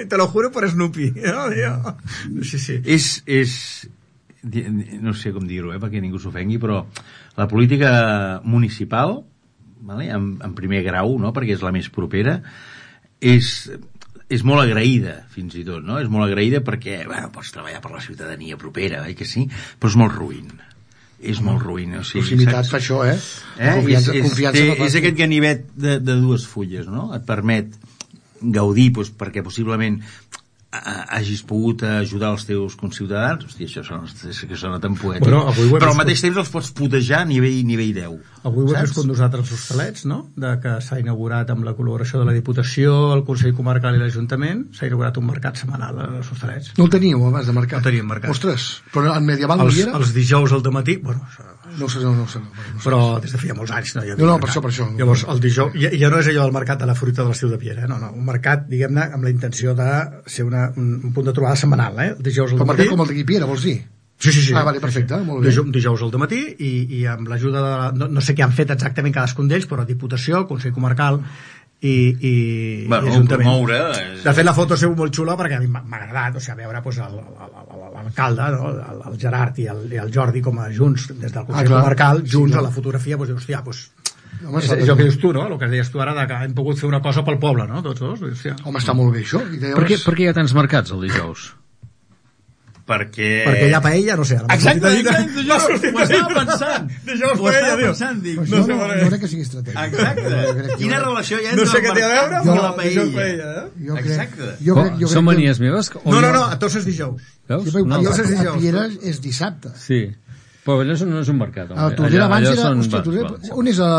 [SPEAKER 4] Te lo juro por Snoopy. Sí.
[SPEAKER 5] És no sé com dir-ho, perquè ningú s'ofengui, però la política municipal, vale, en primer grau, no, perquè és la més propera, és molt agraïda, fins i tot, no? És molt agraïda perquè, pots treballar per la ciutadania propera, que sí, però és molt ruïn. És molt ruïn, o sigui...
[SPEAKER 7] Proximitat fa això, Confiança
[SPEAKER 5] és aquest ganivet de 2 fulles, no? Et permet gaudir, perquè possiblement hagis pogut ajudar els teus conciutadans. Hòstia, això sona tan poètic.
[SPEAKER 4] Bueno,
[SPEAKER 5] però al mateix temps els pots putejar a nivell 10.
[SPEAKER 4] Avui ho hem viscut nosaltres els Hostalets, no? Que s'ha inaugurat amb la col·laboració de la Diputació, el Consell Comarcal i l'Ajuntament, s'ha inaugurat un mercat setmanal als Hostalets.
[SPEAKER 7] No el teníeu abans de mercat?
[SPEAKER 4] No teníem mercat.
[SPEAKER 7] Ostres, però en medieval no hi era?
[SPEAKER 4] Els dijous al dematí, bueno...
[SPEAKER 7] No sé.
[SPEAKER 4] Però des de feia molts anys no hi havia
[SPEAKER 7] No,
[SPEAKER 4] mercat.
[SPEAKER 7] per això.
[SPEAKER 4] Llavors, el dijous, ja no és allò del mercat de la fruita de l'estiu de Piera, no, un mercat, diguem-ne, amb la intenció de ser un punt de trobada setmanal, El dijous al
[SPEAKER 7] Però
[SPEAKER 4] dematí...
[SPEAKER 7] mercat com el d'aquí Piera, vols dir?
[SPEAKER 4] Sí.
[SPEAKER 7] Ah, vale, perfecte, molt bé.
[SPEAKER 4] Dijous al dematí i amb l'ajuda de... No sé què han fet exactament cadascun d'ells, però Diputació, Consell Comarcal i Ajuntament.
[SPEAKER 5] Promoure...
[SPEAKER 4] De fet, la foto ha sigut molt xula perquè a mi m'ha agradat, o sigui, veure l'alcalde, no? El Gerard i el Jordi com a junts, des del Consell Comarcal, junts a la fotografia, doncs, hòstia, és el que dius tu, no? El que deies tu ara, que hem pogut fer una cosa pel poble, no? Tots dos.
[SPEAKER 7] Home, està molt bé, això.
[SPEAKER 6] Per què hi ha tants mercats el dijous?
[SPEAKER 5] Perquè
[SPEAKER 4] hi ha paella, no sé.
[SPEAKER 5] Exacte, ho estava pensant.
[SPEAKER 4] Dijous paella, diu.
[SPEAKER 7] No crec que sigui estratègic.
[SPEAKER 5] Exacte. Quina relació hi ha entre
[SPEAKER 4] no sé què té a veure
[SPEAKER 5] amb la
[SPEAKER 4] paella.
[SPEAKER 5] Exacte.
[SPEAKER 6] Són manies meves?
[SPEAKER 4] No, a tots és dijous.
[SPEAKER 6] Veus?
[SPEAKER 7] A Piera és dissabte.
[SPEAKER 6] Sí. Però allò no és un mercat.
[SPEAKER 7] A Tordera abans era... On és a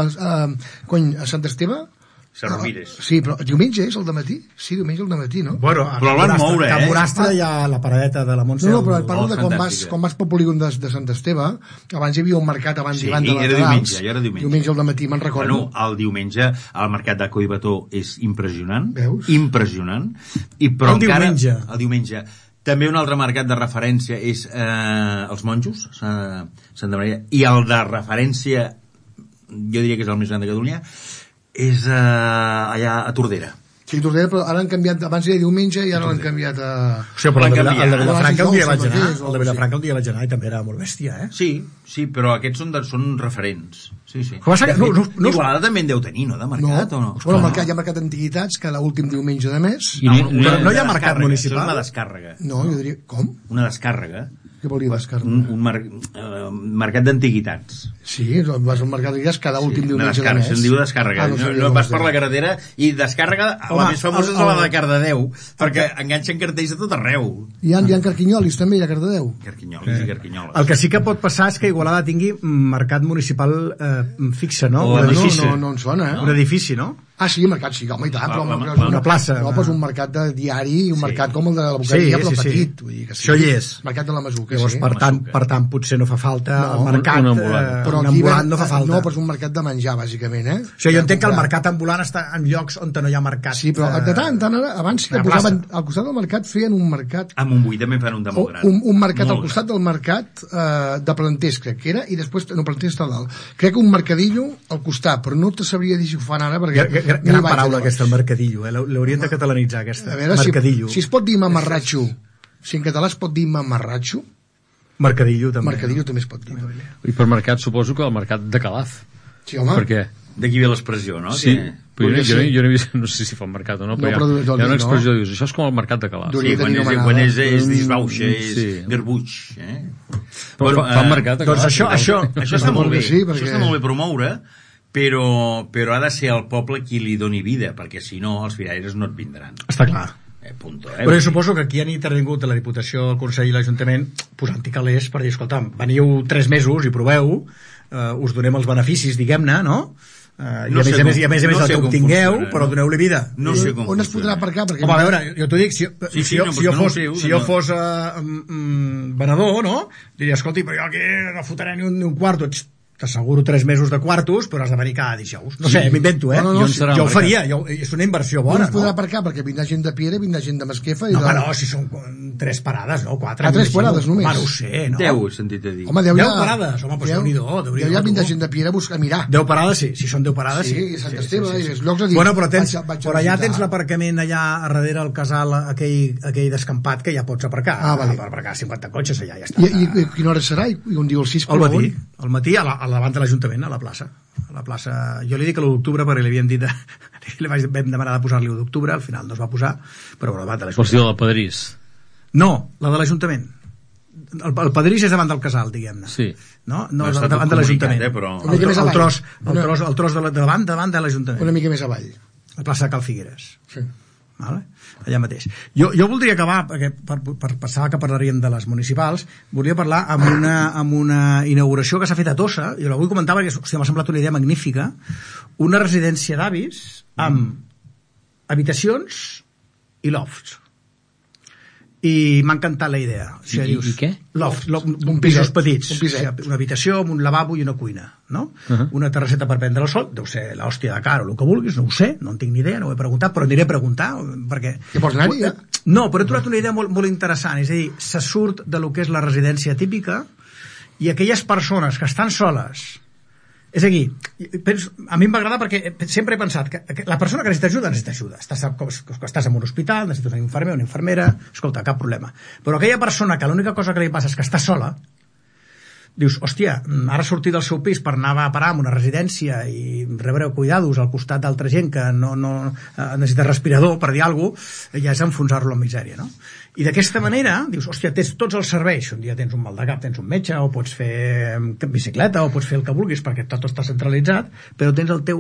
[SPEAKER 7] Sant Esteve?
[SPEAKER 5] Cervires.
[SPEAKER 7] Sí, però diumenge és el dematí? Sí, diumenge el dematí, no?
[SPEAKER 4] Bueno,
[SPEAKER 5] però el van moure,
[SPEAKER 4] a Morastre hi ha la paradeta de la Montse.
[SPEAKER 7] No, però parlo de quan vas pel polígon de Sant Esteve, abans hi havia un mercat abans i abans de les Nadals.
[SPEAKER 5] Sí, era diumenge.
[SPEAKER 7] Diumenge al dematí, me'n recordo.
[SPEAKER 5] Bueno, el diumenge el mercat de Collbató és impressionant.
[SPEAKER 7] Veus?
[SPEAKER 5] Impressionant. Però
[SPEAKER 4] el diumenge.
[SPEAKER 5] El diumenge. També un altre mercat de referència és els monjos, Santa Maria, i el de referència, jo diria que és el més gran de Catalunya, és allà a Tordera.
[SPEAKER 7] Sí, Tordera, però ara han canviat, abans era diumenge i ara l'han canviat a...
[SPEAKER 4] O sigui, però el de Vilafranca un dia vaig anar, el de Vilafranca un dia vaig anar i també era molt bèstia,
[SPEAKER 5] Sí, però aquests són referents. Sí.
[SPEAKER 4] Igualada
[SPEAKER 5] també en deu tenir, no, de mercat, o no?
[SPEAKER 7] Bueno, hi ha mercat d'antiguitats cada últim diumenge de mes.
[SPEAKER 4] Però no hi ha mercat municipal?
[SPEAKER 5] És una descàrrega.
[SPEAKER 7] No, jo diria... Com?
[SPEAKER 5] Una descàrrega.
[SPEAKER 7] Què vol dir descàrrega?
[SPEAKER 5] Un mercat d'antiguitats.
[SPEAKER 7] Sí, vas al mercat d'antiguitats cada últim diumenge de mes.
[SPEAKER 5] Se'n diu descàrrega. No vas per la carretera i descàrrega, la més famosa és la de Cardedeu, perquè enganxen cartells a tot arreu.
[SPEAKER 7] Hi ha carquinyolis també, a Cardedeu.
[SPEAKER 5] Carquinyolis i carquinyoles.
[SPEAKER 4] El que sí que pot passar és que Igualada tingui mercat municipal fixe, no?
[SPEAKER 7] No en sona,
[SPEAKER 4] Un edifici, no?
[SPEAKER 7] Ah, sí, mercat, sí, home, i tant, però
[SPEAKER 4] una plaça.
[SPEAKER 7] No, però és un mercat de diari i un mercat com el de la Boqueria, però petit. Vull dir que
[SPEAKER 4] això hi és.
[SPEAKER 7] Mercat de la Masuca,
[SPEAKER 4] llavors,
[SPEAKER 7] sí.
[SPEAKER 4] per tant, potser no fa falta el mercat.
[SPEAKER 6] Un ambulant.
[SPEAKER 7] Però
[SPEAKER 4] un ambulant no fa falta.
[SPEAKER 7] No, però és un mercat de menjar, bàsicament,
[SPEAKER 4] Això jo entenc que el mercat ambulant està en llocs on no hi ha mercat.
[SPEAKER 7] Sí, però de tant en tant, abans que posaven al costat del mercat, feien un mercat...
[SPEAKER 5] A Montbui també fan un de molt gran.
[SPEAKER 7] Un mercat al costat del mercat de Planters, crec que era, i després, no, Planters està dalt. Crec que un mercadillo al costat, però no te sabria dir si ho fan ara, perquè...
[SPEAKER 4] Gran paraula aquesta, el mercadillo, l'haurien de catalanitzar, aquesta. Mercadillo.
[SPEAKER 7] Si es pot dir mamarratxo, si en català es pot dir mamarratxo,
[SPEAKER 4] mercadillo també.
[SPEAKER 7] Mercadillo també es pot dir.
[SPEAKER 6] I per mercat suposo que el mercat de Calaf.
[SPEAKER 7] Sí, home.
[SPEAKER 6] Per què?
[SPEAKER 5] D'aquí ve l'expressió, no?
[SPEAKER 6] Sí, jo no he vist, no sé si fa un mercat o no, però hi ha una expressió que dius, això és com el mercat de Calaf.
[SPEAKER 5] Sí, quan és disbauxa, és garbuix.
[SPEAKER 6] Fa un mercat de Calaf.
[SPEAKER 4] Doncs això
[SPEAKER 5] està molt bé, això està molt bé promoure, però ha de ser el poble qui li doni vida, perquè si no els firaires no et vindran.
[SPEAKER 4] Està clar.
[SPEAKER 5] Punto,
[SPEAKER 4] però jo suposo que aquí han intervingut la Diputació, el Consell i l'Ajuntament posant-hi calés per dir, escolta'm, veniu 3 mesos i proveu, us donem els beneficis, diguem-ne, no? I a més a més el que obtingueu, però doneu-li vida.
[SPEAKER 5] No sé com
[SPEAKER 7] on es podrà aparcar?
[SPEAKER 4] Home, a veure, jo t'ho dic, si jo fos venedor, no? Diria, escolti, però jo aquí no fotré ni un quarto. T'asseguro 3 mesos de quartos, però has de venir cada dijous. No sé, m'invento, jo ho faria, és una inversió bona.
[SPEAKER 7] No es podrà aparcar, perquè vindrà gent de Piera, vindrà gent de Masquefa...
[SPEAKER 4] No, no, si són 3 parades, no? 4.
[SPEAKER 7] 3 parades només?
[SPEAKER 4] Home, no ho sé, no?
[SPEAKER 5] 10, he sentit a dir.
[SPEAKER 7] Home,
[SPEAKER 4] 10 parades, home, doncs Déu-n'hi-do.
[SPEAKER 7] Deu vindrà gent de Piera a mirar.
[SPEAKER 4] 10 parades, sí, si són 10 parades, sí.
[SPEAKER 7] Sí, i Sant Esteve, i els llocs a dir...
[SPEAKER 4] Bueno, però allà tens l'aparcament allà a darrere el casal, aquell descampat, que ja pots aparcar. Per aparcar 50 cotxes allà, ja està.
[SPEAKER 7] I quina hora serà? I on diu el 6?
[SPEAKER 4] Al matí, al davant de l'Ajuntament, a la plaça. Jo li dic a l'1 d'octubre perquè li havíem dit vam demanar de posar-li 1 d'octubre, al final no es va posar, però davant de l'Ajuntament.
[SPEAKER 6] Vols dir la del Padrís?
[SPEAKER 4] No, la de l'Ajuntament. El Padrís és davant del casal, diguem-ne.
[SPEAKER 6] Sí.
[SPEAKER 4] No, davant de l'Ajuntament. El tros de davant de l'Ajuntament.
[SPEAKER 7] Una mica més avall.
[SPEAKER 4] La plaça de Cal Figueres.
[SPEAKER 7] Sí.
[SPEAKER 4] Vale? Allà mateix. Jo voldria acabar, perquè per passar que parlaríem de les municipals, volia parlar amb una inauguració que s'ha fet a Tossa, i la vull comentar perquè m'ha semblat una idea magnífica, una residència d'avis amb habitacions i lofts. I m'ha encantat la idea.
[SPEAKER 6] I què?
[SPEAKER 4] Loft, pisos petits. Una habitació amb un lavabo i una cuina, no? Una terrasseta per prendre el sol, deu ser l'hòstia de cara o el que vulguis, no ho sé, no en tinc ni idea, no ho he preguntat, però aniré a preguntar, perquè...
[SPEAKER 7] Que vols anar-hi, ja?
[SPEAKER 4] No, però he trobat una idea molt, molt interessant, és a dir, se surt de lo que és la residència típica i aquelles persones que estan soles. És a dir, a mi em va agradar perquè sempre he pensat que la persona que necessita ajuda. Estàs en un hospital, necessites un infermer, una infermera, escolta, cap problema. Però aquella persona que l'única cosa que li passa és que està sola, dius, hòstia, ara sortir del seu pis per anar a parar en una residència i rebre cuidados al costat d'altra gent que no necessita respirador, per dir alguna cosa, ja és enfonsar-lo en misèria, no? I d'aquesta manera, dius, hòstia, tens tots els serveis. Un dia tens un mal de cap, tens un metge, o pots fer bicicleta, o pots fer el que vulguis, perquè tot està centralitzat, però tens el teu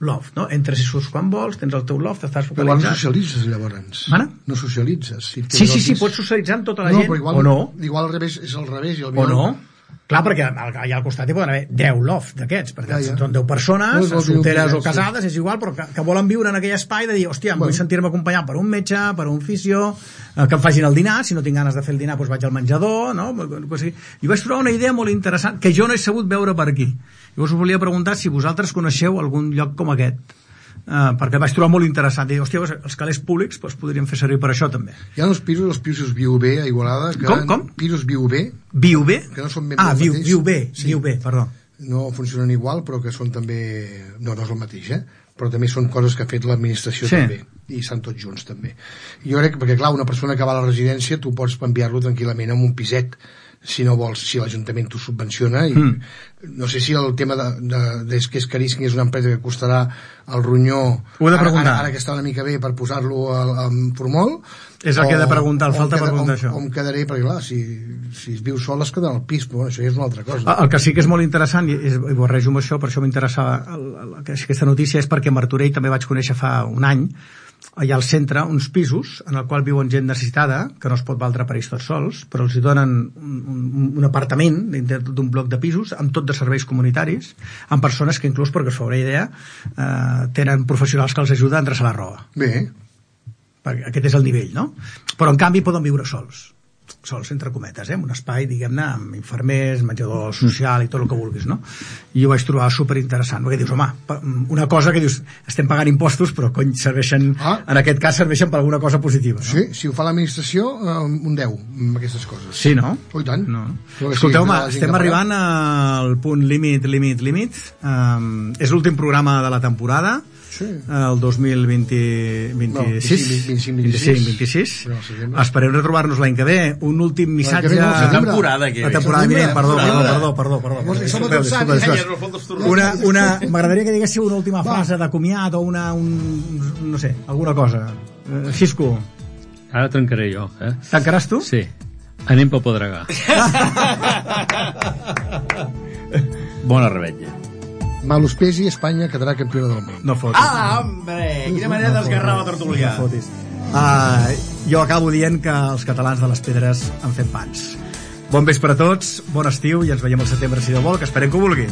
[SPEAKER 4] loft, no? Entres i surts quan vols, tens el teu loft, estàs focalitzat.
[SPEAKER 7] Però no socialitzes, llavors.
[SPEAKER 4] No
[SPEAKER 7] socialitzes.
[SPEAKER 4] Sí, pots socialitzar amb tota la gent,
[SPEAKER 7] igual,
[SPEAKER 4] o no.
[SPEAKER 7] Igual al revés, és al revés. I
[SPEAKER 4] o no. Clar, perquè allà al costat hi poden haver 10 lofts d'aquests, perquè són 10 persones, solteres o casades, és igual, però que volen viure en aquell espai de dir, hòstia, vull sentir-me acompanyat per un metge, per un fisio, que em facin el dinar, si no tinc ganes de fer el dinar, doncs vaig al menjador, no? I vaig trobar una idea molt interessant, que jo no he sabut veure per aquí. Llavors us volia preguntar si vosaltres coneixeu algun lloc com aquest. Perquè vaig trobar molt interessant, dir, hòstia, els calés públics podrien fer servir per això també.
[SPEAKER 7] Hi ha els pisos Viu B a Igualada que
[SPEAKER 4] com?
[SPEAKER 7] Pisos Viu B que no són
[SPEAKER 4] Viu B, perdó,
[SPEAKER 7] no funcionen igual però que són també no és el mateix, però també són coses que ha fet l'administració també, i estan tots junts també. Jo crec, perquè clar, una persona que va a la residència tu pots enviar-lo tranquil·lament en un piset si no vols, si l'Ajuntament t'ho subvenciona i no sé si el tema que és caríssim, és una empresa que costarà el ronyó ara que està una mica bé per posar-lo en formol
[SPEAKER 4] és el que he de preguntar, falta preguntar això
[SPEAKER 7] on quedaré, perquè clar, si es viu sol es quedarà al pis, però això ja és una altra cosa.
[SPEAKER 4] El que sí que és molt interessant i barrejo amb això, per això m'interessava aquesta notícia, és perquè a Martorell també vaig conèixer fa un any hi ha al centre uns pisos en el qual viuen gent necessitada, que no es pot valdre per ells tots sols, però els hi donen un apartament dintre d'un bloc de pisos amb tot de serveis comunitaris, amb persones que inclús, perquè us fa una idea, tenen professionals que els ajuden a endreçar la roba.
[SPEAKER 7] Bé.
[SPEAKER 4] Perquè aquest és el nivell, no? Però en canvi poden viure sols, entre cometes, un espai, diguem-ne, amb infermers, menjador social i tot el que vulguis, no? I ho vaig trobar superinteressant, perquè dius, home, una cosa que dius, estem pagant impostos, però cony, serveixen, en aquest cas serveixen per alguna cosa positiva, no?
[SPEAKER 7] Sí, si ho fa l'administració, un 10 amb aquestes coses.
[SPEAKER 4] Sí, no?
[SPEAKER 7] Oh, i tant.
[SPEAKER 4] No. Escolteu-me, estem arribant al punt límit. És l'últim programa de la temporada, el 2025-26. Esperem retrobar-nos l'any que ve. Un últim missatge...
[SPEAKER 5] La temporada
[SPEAKER 4] vinent, perdó. M'agradaria que diguéssiu una última frase de comiat o no sé, alguna cosa. Xisco.
[SPEAKER 6] Ara trencaré jo,
[SPEAKER 4] Tancaràs tu?
[SPEAKER 6] Sí. Anem pel Pedregà.
[SPEAKER 5] Bona revetlla.
[SPEAKER 7] Malus pesi, Espanya quedarà campiona del món.
[SPEAKER 4] No fotis.
[SPEAKER 5] Hombre! Quina manera d'esgarrar la tertúlia.
[SPEAKER 4] No fotis. Jo acabo dient que els catalans de les pedres han fet pans. Bon vespre a tots, bon estiu i ens veiem al setembre si Déu vol, que esperem que ho vulgui.